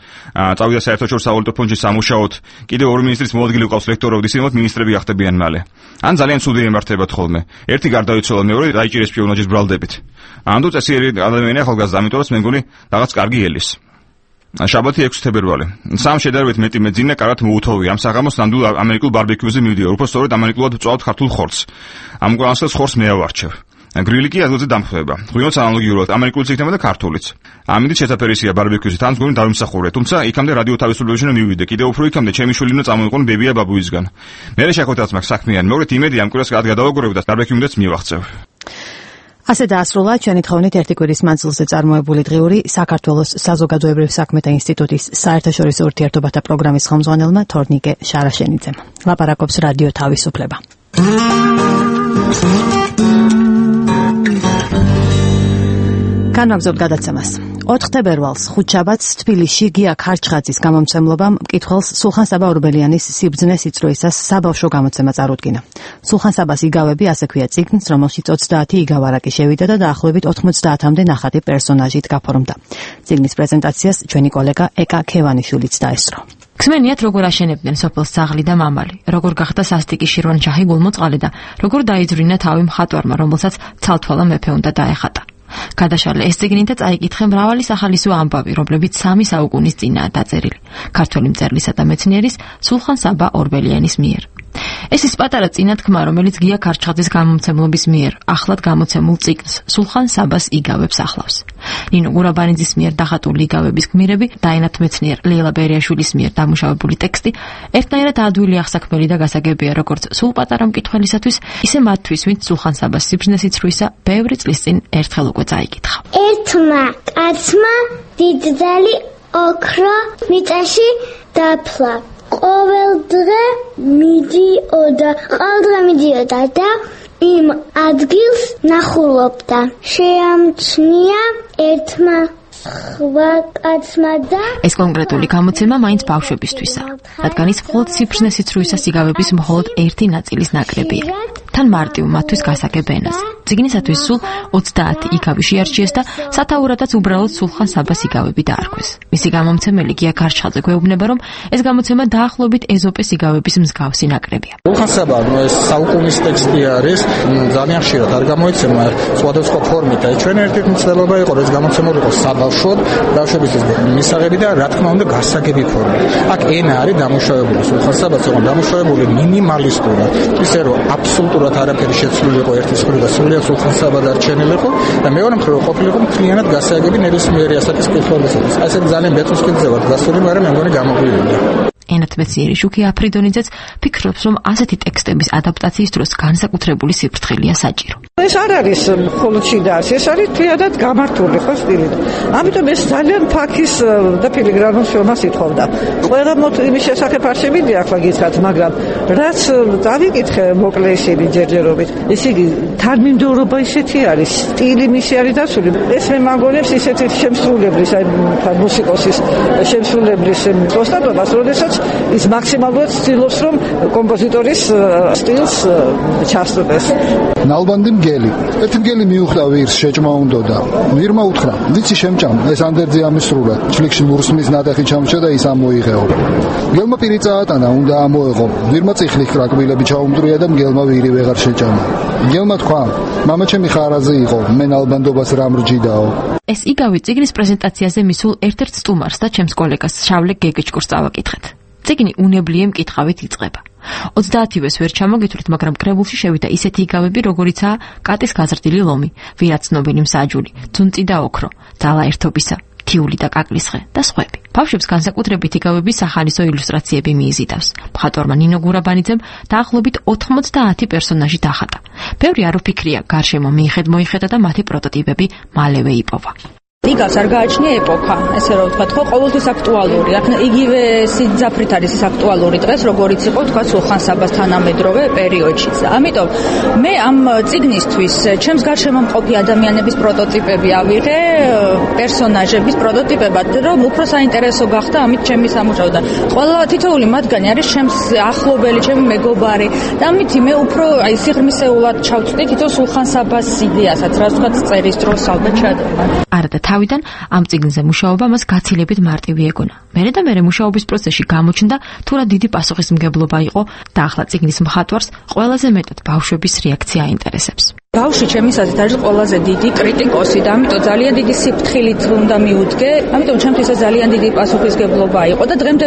წავიდა საერთაშორისო სავალუტო ფონდში სამუშაოდ. კიდევ 2 მინისტრის მოადგილე ყავს ლექტორები, ისინი მინისტრები გახდებიან მალე. ან ძალიან ცუდი ემართებათ ხოლმე. ერთი გარდაიცვალა, მეორე დაიჭირეს სპიონაჟის ბრალდებით. ანდო წესიერი ადამიანია ახალგაზრდა, ამიტომაც მე მგონი რაღაც კარგი ელის. შაბათი 6 თებერვალი. სამ შედარებით მეტი მეძინა კარად მოუთოვია. ამ საღამოს ნამდვილ ამერიკულ ბარბეკიუზე მივდივარ. უფრო სწორედ ამერიკულად ვწვავთ ქართულ ხორცს. ამ უკანასკნელ ხორცს მე ავარჩევ. გრილი კი ადგილზე დამხვდება. ღვინოც ანალოგიურად ამერიკულიც იქნება და ქართულიც. ამით შესაძფერისია ბარბეკიუზე, თან მგონი დავიმსახურე. თუმცა იქამდე რადიო თავისუფლებაში უნდა მივიდე. კიდევ უფრო იქამდე ჩემი შვილი უნდა წამოიყვანო ბებია ბაბუისგან. მე შეხვედრაც მაქვს საქმიანი, მოგეთ იმედი ამ კვირას გადავაგორებ და ბარბეკიუნდაც მივახცევ.
ასე დაასრულა ჩვენი თხოვნით ერთი კვირის მანძილზე წარმოებული დღიური საქართველოს საზოგადოებრივ საქმეთა ინსტიტუტის საერთაშორისო ურთიერთობათა პროგრამის ხელმძღვანელმა თორნიკე შარაშენიძემ. ლაპარაკობს რადიო თავისუფლება. განვაგრძობთ გადაცემას. 4 თებერვალს ხუთშაბათს თბილისში გია ქარჩხაძის გამომცემლობამ მკითხველს სულხან-საბა ორბელიანის სიბრძნეს იწროისას საბავშვო გამოცემა წარუდგინა. სულხან-საბას იგავები ასე ქვია წიგნს, რომელშიც 30 იგავარაკი შევიდა და დაახლოებით 90-მდე ნახატი პერსონაჟით გაფორმდა. წიგნის პრეზენტაციას ჩვენი კოლეგა ეკა ქევანიშვილიც დაესწრო.
ქსმენიათ როგორ აშენებდნენ სოფელს ძაღლი და მამალი, როგორ გახდა სასტიკი შირვანშაჰი გულმოწყალე და როგორ დაიძვრინა თავი მხატვარმა, რომელსაც ცალთვალა მეფე უნდა დაეხატა. გადაშალე ეს წიგნი და წაიკითხე მრავალი სახალისო ამბავი, რომლებიც 3 საუკუნის წინაა დაწერილი. ქართველი მწერლისა და მეცნიერის სულხან-საბა ორბელიანის მიერ. ეს ის პატარა წინათქმა, რომელიც გია ქარჩხაძის გამომცემლობის მიერ ახლად გამოცემულ წიგნს სულხან-საბას იგავებს ახლავს. ნინო გურაბანიძის მიერ დახატული იგავების გმირები, დაინათ მეცნიერ ლეილა ბერიაშვილის მიერ დამუშავებული ტექსტი ერთნაირად ადვილი აღსაქმელი და გასაგებია როგორც სულ პატარა მკითხველისათვის, ისე მათთვის, ვინც სულხან-საბას სიბრძნეს იწროისა ბევრი წლის წინ ერთხელ უკვე წაიკითხა.
ერთმა კაცმა დიდძალი ოქრო მიწაში დაფლა. ყოველდღე მიდიოდა და იმ ადგილს ნახულობდა. შეამჩნია ერთმა სხვა კაცმა და
ეს კონკრეტული გამოცემა მაინც ბავშვებისთვისა, რადგან ის მხოლოდ ციფრნესით რუისა სიგავების მხოლოდ ერთი ნაწილის ნაკრებია. თან მარტივ მათთვის გასაგებ ენას. წიგნისათვის სულ 30 იგავი შეარჩიეს და სათაურადაც უბრალოდ სულხან საბას იგავები დაარქვეს. მისი გამომცემელი გია გარჩხაძე გვეუბნება, რომ ეს გამოცემა დაახლოებით ეზოპეს იგავების მსგავსი ნაკრებია.
სულხან საბა ეს საუკუნის ტექსტი არის, ძალიან ხშირად არ გამოიცემა სხვადასხვა ფორმით. ჩვენ ერთ-ერთი მცდელობა იყო, რომ ეს გამოცემული იყო საბავშვოდ, ბავშვების მისაღები და რა თქმა უნდა გასაგები ფორმით. აქ ენა არის დამუშავებული, სულხან საბას იყო დამუშავებული მინიმალისტურად, ისე რომ აბსოლუტურად არაფერი შეცვლილი იყო ერთის მხრივ და სულიად სულხან საბა დარჩენილიყო და მეორე მხრივ ყოფილიყო მთლიანად გასაგები ნებისმიერი ასაკის კითხვებისათვის. ასე ძალიან ბეწვისკითზევად გასული, მაგრამ მე მგონი გამოგვივიდა.
ენათ მეციერი შუქი აფრიდონიძეც ფიქრობს, რომ ასეთი ტექსტების ადაპტაციის დროს განსაკუთრებული სიფრთხილეა საჭირო.
ეს არ არის მხოლოდ შინაარსი, ეს არის თლიანად გამართული ხო სტილით. ამიტომ ეს ძალიან ფაქის და ფილიგრანულ შრომას ითხოვდა. ყველა იმის შესახებ არ შევიდი ახლა გითხრათ, მაგრამ რაც დავიკითხე მოკლე ისინი ჯერჯერობით, ესე იგი თანმიმდევრობა ისეთი არის, სტილი მისი არის დაცული. ეს მე მაგონებს ისეთი შემსრულებლის, აი მუსიკოსის შემსრულებლის ოსტატობას, როდესაც ის მაქსიმალურად ცდილობს, რომ კომპოზიტორის სტილს ჩასწრდეს.
ნალბანდი მგელი. ერთი მგელი მიუხვდა ვირს, შეჭმა უნდოდა. ვირმა უთხრა: "ვიცი შემჭამ, ეს ანდერძი ამისრულა. ჩლიქში მურსმის ნატეხი ჩამჭა და ის ამოიღეო." მგელმა პირი წაატანა, უნდა ამოეღო. ვირმა წიხლი კრაკბილები ჩაუმტრია და მგელმა ვირი ვეღარ შეჭამა. მგელმა თქვა: "მამაჩემი ხარაზე იყო, მე ნალბანდობას რა მრჯიდაო."
ეს იგავი წიგნის პრეზენტაციაზე მისულ ერთ-ერთ სტუმარს და ჩემს კოლეგას შავლე გეგეჭკურს წავაკითხეთ. წიგნი უნებლიე მკითხავით იწყება. 30-ვეს ვერ ჩამოგითვლით, მაგრამ კრებულში შევიდა ისეთი იგავები, როგორიცაა კატის გაზრდილი ლომი, ვირაც ცნობილი მსაჯული, ძუნწი და ოქრო, ძალა ერთობისა, თიული და კაკლისხე და სხვები. ბავშვებს განსაკუთრებით იგავების სახალისო ილუსტრაციები მიიზიდავს. მხატვარმა ნინო გურაბანიძემ დაახლოებით 90 პერსონაჟი დახატა. ბევრი არ უფიქრია, გარშემო მიხედა და მათი პროტოტიპები მალევე იპოვა.
იგავს არ გააჩნია ეპოქა, ესე რომ ვთქვათ, ხო, ყოველთვის აქტუალური. აქ იგივე სიძაფრით არის ის აქტუალური დღეს, როგორიც იყო, თქვა, სულხან საბას თანამედროვე პერიოდშიც. ამიტომ მე ამ წიგნისთვის ჩემს გარშემო მყოფი ადამიანების პროტოტიპები ავიღე, პერსონაჟების პროტოტიპებად, რომ უფრო საინტერესო გახდა ამით ჩემი სამუშაო და ყველა თითოეული მათგანი არის ჩემს ახლობელი, ჩემი მეგობარი და ამითი მე უფრო აი სიღრმისეულად ჩავწვდი თითო სულხან საბას იდეასაც, რაც ვთქვათ, წერის დროს ალბათ ჩადება.
არადა თავიდან ამ წიგნზე მუშაობა მას გაცილებით მარტივი ეგონა. მერე და მერე მუშაობის პროცესში გამოჩნდა, თუ რა დიდი პასუხისმგებლობა იყო და ახლა წიგნის მხატვარს ყველაზე მეტად ბავშვების რეაქცია აინტერესებს.
ბავშვი ჩემის აზრით არის ყველაზე დიდი კრიტიკოსი და ამიტომ ძალიან დიდი სიფრთხილით უნდა მიუდგე. ამიტომ ჩემთვის ძალიან დიდი პასუხისმგებლობა იყო და დღემდე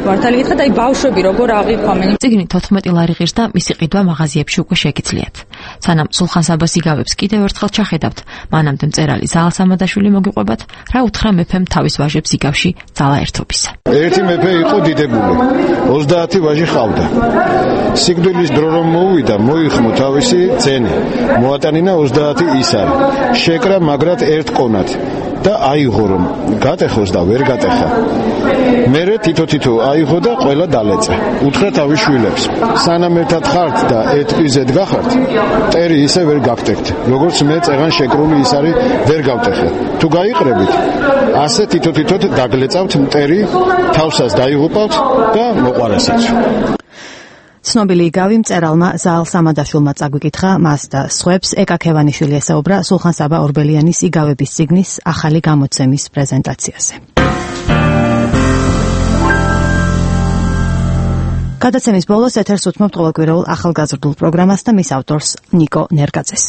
მართალი გითხრათ, აი ბავშვები როგორ აღიქვამენ.
წიგნი 14 ლარი ღირს და მისი ყიდვა მაღაზიებში უკვე შეგიძლიათ. სანამ სულხან საბას იგავებს კიდევ ერთხელ ჩახედავთ, მანამდე მწერალი ზაალ სამადაშვილი მოგიყვებათ, რა უთხრა მეფემ თავის ვაჟებს იგავში ძალა ერთობისა.
ერთი მეფე იყო დიდებული. 30 ვაჟი ყავდა. სიკვდილის დრო რომ მოუვიდა, მოიხმო თავისი ძენი. მოატანინა 30 ისარი. შეკრა მაგრად ერთ კონად და აიღო რომ გატეხოს და ვერ გატეხა. მერე თითო აიღო და ყველა დალეწა. უთხრა თავის შვილებს: სანამ ერთად ხართ და ეტყიზეთ გახართ, მტერი ისე ვერ გაგტეხთ, როგორც მე წეღან შეკრული ისარი ვერ გავტეხე. თუ გაიყრებით, ასე თითო დაგლეწავთ მტერი, თავსას დაიღუპავთ და მოყარასაც.
ცნობილი იგავი მწერალმა ზაალ სამადაშვილმა წაგვიკითხა მას და სხვებს ეკა ქევანიშვილი ესაუბრა სულხან საბა ორბელიანის იგავების წიგნის ახალი გამოცემის პრეზენტაციაზე. გადაცემის ბოლოს ეთერს უთმობთ ყოველკვირეულ ახალგაზრდულ პროგრამას და მის ავტორს ნიკო ნერგაძეს.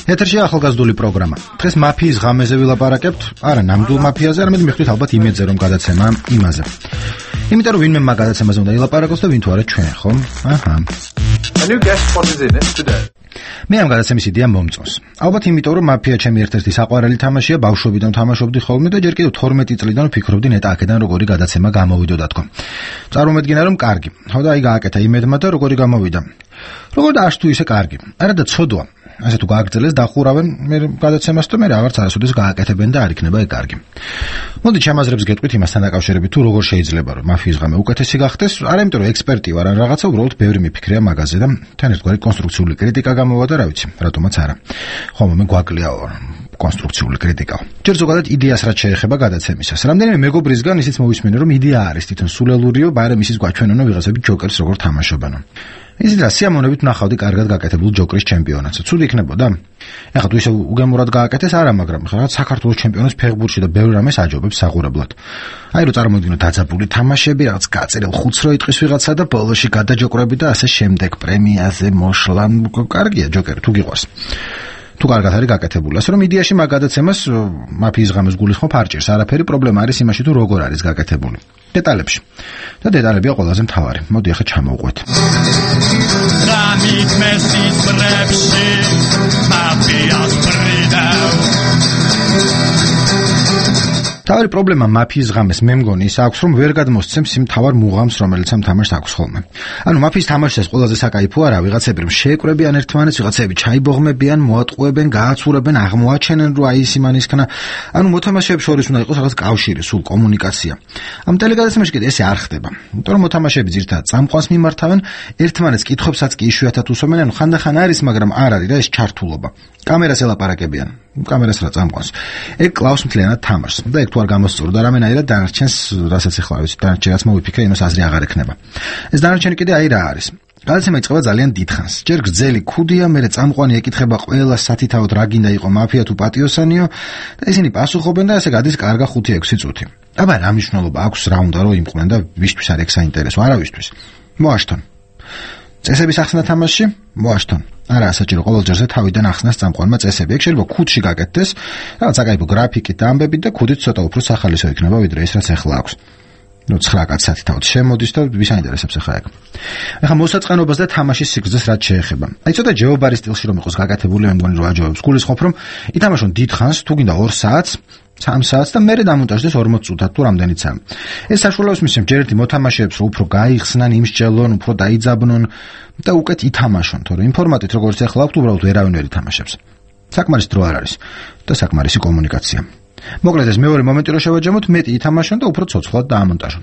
ეთერში ახალგაზრდული პროგრამა. დღეს მაფიის ღამეზე ვილაპარაკებთ, არა ნამდვილ მაფიაზე, არამედ მიხვდით ალბათ იმედზე, რომ გადაცემა იმაზე. იმიტომ რომ ვინმე მაგ გადაცემაზე უნდა ილაპარაკოს და ვინ თუ არა ჩვენ, ხო? აჰა. მე ამ გადაცემის იდეა მომწონს. ალბათ იმიტომ რომ მაფია ჩემი ერთ-ერთი საყვარელი თამაშია, ბავშვობიდან თამაშობდი ხოლმე და ჯერ კიდევ 12 წლიდან ვფიქრობდი ნეტა აქედან როგორი გადაცემა გამოვიდოდა თქო. წარმომედგინა რომ კარგი. ხო და აი გააკეთა იმედმა და როგორი გამოვიდა. როგორ დააშ თუ ისე კარგი. არა და ცოდვა. ასე თუ გააგრძელეს დახურავენ მე გადაცემას და მე რაღაცა არასოდეს გააკეთებენ და არ იქნება ეგ კარგი. მოდი ჩემაზრებს გეტყვით იმასთან დაკავშირებით თუ როგორ შეიძლება რომ მაფიის ღამე უკეთესი გახდეს, არა იმიტომ რომ ექსპერტი ვარ ან რაღაცა, უბრალოდ ბევრი მიფიქრია მაგაზე და თან ერთგვარი კონსტრუქციული კრიტიკა გამოვა და რა ვიცი, რატომაც არა. ხომ მე გვაკლიაო. კონსტრუქციული კრიტიკა. ჯერ ზოგადად იდეას რაც შეეხება გადაცემისას. რამდენიმე მეგობრისგან ისიც მოვისმენე, რომ იდეა არის თვითონ სულელურიო, მაგრამ ისიც გვაჩვენონო ვიღაცები ჯოკერს როგორ თამაშობენ. ისიც რა სიამოვნებით ნახავდი კარგად გაკეთებულ ჯოკრის ჩემპიონატს. ცუდი იქნებოდა? ეხლა თუ ისე უგემურად გააკეთეს, არა, მაგრამ ხა საქართველოს ჩემპიონატს ფეხბურთში და ბევრ რამეს აჯობებს საყურებლად. აი რომ წარმოვიდგინოთ დაძაბული თამაშები, რაღაც გაწერილ ხუთს რო იტყვის ვიღაცა და ბოლოში გადაჯოկრები და ასე შემდეგ პრემიაზე მოშლა. კარგია ჯოკერი თუ გიყვარს. თუ კარგად არის გაკეთებული. ასე რომ იდეაში მაგ გადაცემას მაფიის ღამეს გულისხმობ არ ჭირს. არაფერი პრობლემა არის იმაში თუ როგორ არის გაკეთებული. დეტალებში. და დეტალებია ყველაზე მთავარი. მოდი ახლა ჩამოვყვეთ.
რამით მესის ბრებში მაფიას ბრიდავ
თავი პრობლემა მაფიის ღამეს მე მგონი ის აქვს რომ ვერ გადმოსცემს იმ თავარ მუღამს რომელიც ამ თამაშს აქვს ხოლმე. ანუ მაფიის თამაშის ყველაზე საკაიფო არა ვიღაცები რომ შეეკრებიან ერთმანეთს, ვიღაცები ჩაიბოღმებიან, მოატყუებენ, გააცურებენ, აღმოაჩენენ რომ აი ის იმანისქნა. ანუ მოთამაშეებს შორის უნდა იყოს რაღაც კავშირი, სულ კომუნიკაცია. ამ ტელეგადაცემაში კიდე ესე არ ხდება. იმიტომ რომ მოთამაშეები ძირითადად წამყვანს მიმართავენ, ერთმანეთს კითხვებსაც კი იშვიათად უსვამენ, ანუ ხანდახან არის, მაგრამ არ არის რა ეს ჩართულობა. კამერას ელაპარაკებიან. კამერას რა წამყვანს. ეგ კლავს მთლიანად თამაშს. და ეგ თუ არ გამოსწორდა რამენაირად დანარჩენს, რასაც ახლა ვიცით, დანარჩენს მოვიფიქრე, იმას აზრი აღარ ექნება. ეს დანარჩენი კიდე აი რა არის. გადაცემა იწყება ძალიან დიდხანს. ჯერ გრძელი ქუდია, მერე წამყვანი ეკითხება ყველა სათითაოდ რა გინდა იყო მაფია თუ პატიოსანიო და ისინი პასუხობენ და ესე გადის კარგა 5-6 წუთი. აბა რა მნიშვნელობა აქვს რა უნდა რომ იმყვნენ და ვისთვის არ ეგ საინტერესო, არავისთვის. მოაშთონ. წესების ახსნა თამაში მოაშთონ. არა საჭირო ყოველ ჯერზე თავიდან ახსნას წამყვანმა წესები. ეგ შეიძლება ქუდში გაკეთდეს, რაღაც საკაიფო გრაფიკით და ამბებით და ქუდით ცოტა უფრო სახალისო იქნება ვიდრე ის რაც ახლა აქვს. ნუ 9 კაც სათითაოდ შემოდის და ვის აინტერესებს ახლა ეგ. ახლა მოსაწყენობას და თამაშის სიგრძეს რაც შეეხება. აი ცოტა ჯეობარის სტილში რომ იყოს გაკეთებული, მე მგონი რომ აჯობებს. გულისხმობ რომ ითამაშონ დიდხანს, თუ გინდა 2 საათს, 3 საათს და მერე დამონტაჟდეს 40 წუთად თუ რამდენიცაა. ეს საშუალებას მისცემს ჯერ ერთი მოთამაშეებს რომ უფრო გაიხსნან, იმსჯელონ, უფრო დაიძაბნონ და უკეთ ითამაშონ, თორემ იმ ფორმატით როგორც ახლა აქვს, უბრალოდ ვერავინ ვერ ითამაშებს. საკმარის დრო არ არის და საკმარისი კომუნიკაცია. მოკლედ ეს მეორე მომენტი რო შევაჯამოთ, მეტი ითამაშონ და უფრო ცოცხლად დაამონტაჟონ.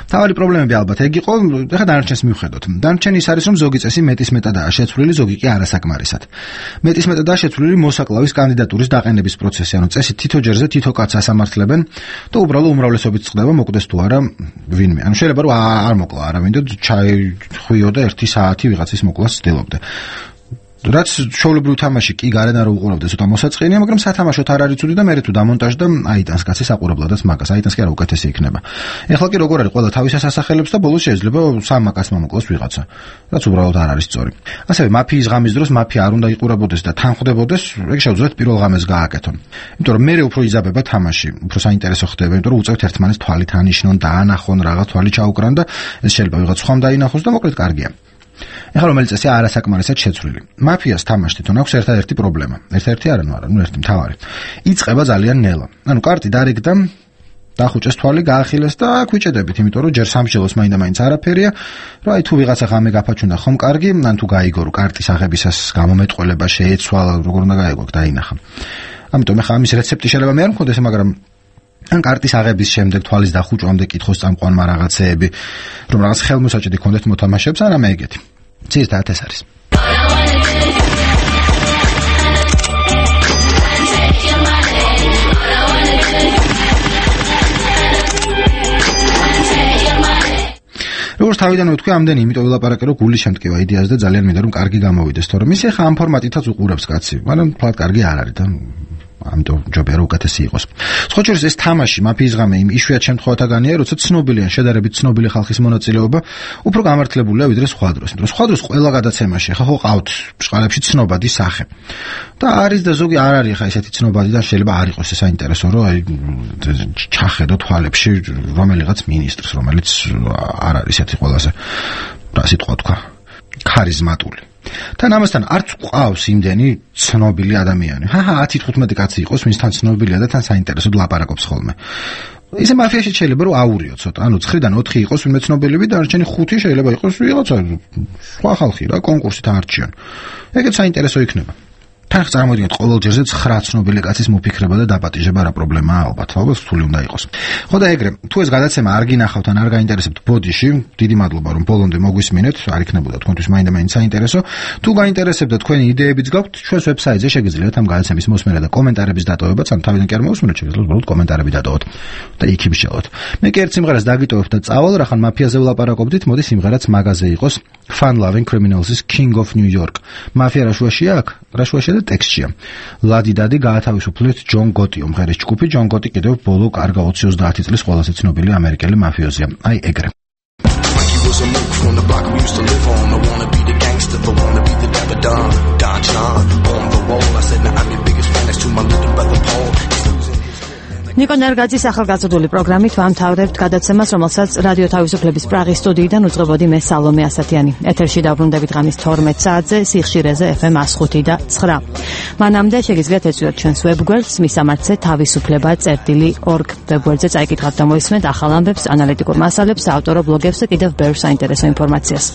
თავი პრობლემები ალბათ ეგ იყო, ეხლა დანარჩენს მივხედოთ. დანარჩენი ის არის, რომ ზოგი წესი მეტის მეტადაა შეცვლილი, ზოგი კი არასაკმარისად. მეტის მეტადაა შეცვლილი მოსაკლავის კანდიდატურის დაყენების პროცესი, ანუ წესი თითო ჯერზე თითო კაცს ასამართლებენ და უბრალოდ უმრავლესობით წყდება მოკვდეს თუ არა ვინმე. ანუ შეიძლება რომ არ მოკლა არავინ და ჩაიხვიო და 1 საათი ვიღაცის მოკლას ცდილობდა. რაც ჩვეულებრივ თამაში კი გარენ არ უყურავდა, ცოტა მოსაწყენია, მაგრამ სათამაშოდ არ არის ცუდი და მე თუ დამონტაჟდა აიტანს კაცი საყურებლადაც მაგას, აიტანს კი არა უკეთესი იქნება. ეხლა კი როგორ არის, ყველა თავისას ასახელებს და ბოლოს შეიძლება 3 მაკას მომოკლოს ვიღაცა, რაც უბრალოდ არ არის სწორი. ასევე მაფიის ღამის დროს მაფია არ უნდა იყურებოდეს და თანხმდებოდეს, ეგ შეუძლიათ პირველ ღამეს გააკეთონ. იმიტომ რომ მე უფრო იზაბება თამაში, უფრო საინტერესო ხდება, იმიტომ რომ უწევთ ერთმანეთს თვალით ანიშნონ, დაანახონ, რაღაც თვალი ჩაუკრან და ეს შეიძლება ვიღაც სხვამ დაინახოს და მოკლედ კარგია. ეხლა რომელიც წესი არასაკმარისად შეცვლილი. მაფიას თამაში თვითონ აქვს ერთადერთი პრობლემა. ერთადერთი არა, ნუ ერთი მთავარი. იწყება ძალიან ნელა. ანუ კარტი დარიგდა, დახუჭეს თვალი, გაახილეს და ქვიჭედებით, იმიტომ რომ ჯერ სამშელოს მაინდა-მაინც არაფერია, რომ აი თუ ვიღაცა ღამე გაფაჩუნდა ხომ კარგი, ან თუ გაიგო რომ კარტის აღებისას გამომეტყველება შეეცვალა, როგორ უნდა გაიგო, დაინახა. ამიტომ ეხლა ამის რეცეპტი შეიძლება მე არ მქონდეს, მაგრამ ან კარტის აღების შემდეგ თვალის დახუჭვამდე კითხოს წამყვანმა რაღაცეები, რომ რაღაც ხელმოსაჭედი ქონდეთ მოთამაშეებს, ან რამე ეგეთი. ძირითადად ეს არის. როგორც თავიდან ვთქვი, ამდენი იმიტომ ვილაპარაკე, რომ გული შემტკივა იდეას და ძალიან მინდა რომ კარგი გამოვიდეს, თორემ ისე ხა ამ ფორმატითაც უყურებს კაცი, მაგრამ თვალად კარგი არ არის და ამიტომ ჯობია რომ უკეთესი იყოს. სხვა შორის ეს თამაში მაფიის ღამე იმ იშვიათ შემთხვევათაგანია, როცა ცნობილია, შედარებით ცნობილი ხალხის მონაწილეობა უფრო გამართლებულია ვიდრე სხვა დროს. იმიტომ რომ სხვა დროს ყველა გადაცემაში ხა ხო ყავთ ბჭყალებში ცნობადი სახე. და არის და ზოგი არ არის ხა ესეთი ცნობადი და შეიძლება არ იყოს ეს საინტერესო, რომ აი ჩახედო თვალებში რომელიღაც მინისტრს, რომელიც არ არის ესეთი ყველაზე რა სიტყვა თქვა, ქარიზმატული. თან ამასთან არც ყავს იმდენი ცნობილი ადამიანი. 10-15 კაცი იყოს, ვინცთან ცნობილია და თან საინტერესოდ ლაპარაკობს ხოლმე. ისე მაფიაში შეიძლება რომ აურიო ცოტა, ანუ 9-დან 4 იყოს ვინმე ცნობილები და არჩენი 5 შეიძლება იყოს ვიღაცა სხვა ხალხი რა, კონკურსით აარჩიონ. ეგეც საინტერესო იქნება. თან წარმოიდგინეთ ყოველ ჯერზე 9 ცნობილი კაცის მოფიქრება და დაპატიჟება რა პრობლემაა ალბათ რთული უნდა იყოს. ხო და ეგრე თუ ეს გადაცემა არ გინახავთ ან არ გაინტერესებთ ბოდიში, დიდი მადლობა რომ ბოლომდე მოგვისმინეთ, არ იქნებოდა თქვენთვის მაინდა-მაინც საინტერესო. თუ გაინტერესებთ და თქვენი იდეებიც გაქვთ, ჩვენს ვებსაიტზე შეგიძლიათ ამ გადაცემის მოსმენა და კომენტარების დატოვებაც, ან თავიდან კი არ მოусმინოთ, შეგიძლიათ უბრალოდ კომენტარები დატოვოთ და იქ იმშელოთ. მე კი ერთ სიმღერას დაგიტოვებ და წავალ, რახან მაფიაზე ვლაპარაკობდით, მოდი სიმღერაც მაგაზე იყოს. Fun Loving Criminals-ის King of New York. მაფია რაშუაშია აქ? რაშუაშია და ტექსტშია. ლადი დადი გაათავისუფლეთ ჯონ გოტი, უმღერის ჯგუფი ჯონ გოტი კიდევ ბოლო კარგა 20-30 წლის ყველაზე ცნობილი ამერიკელი მაფიოზია. აი ეგრე. ნიკო ნერგაძის ახალგაზრდული პროგრამით ვამთავრებთ გადაცემას, რომელსაც რადიო თავისუფლების პრაღის სტუდიიდან უძღვებოდი მე სალომე ასათიანი. ეთერში დაბრუნდებით ღამის 12 საათზე სიხშირეზე FM 105 და 9. მანამდე შეგიძლიათ ეწვიოთ ჩვენს ვებგვერდს მისამართზე თავისუფლება.org ვებგვერდზე წაიკითხავთ და მოისმენთ ახალ ამბებს, ანალიტიკურ მასალებს, საავტორო ბლოგებს და კიდევ ბევრ საინტერესო ინფორმაციას.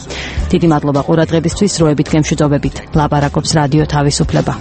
დიდი მადლობა ყურადღებისთვის, როებით გემშვიდობებით. ლაპარაკობს რადიო თავისუფლება.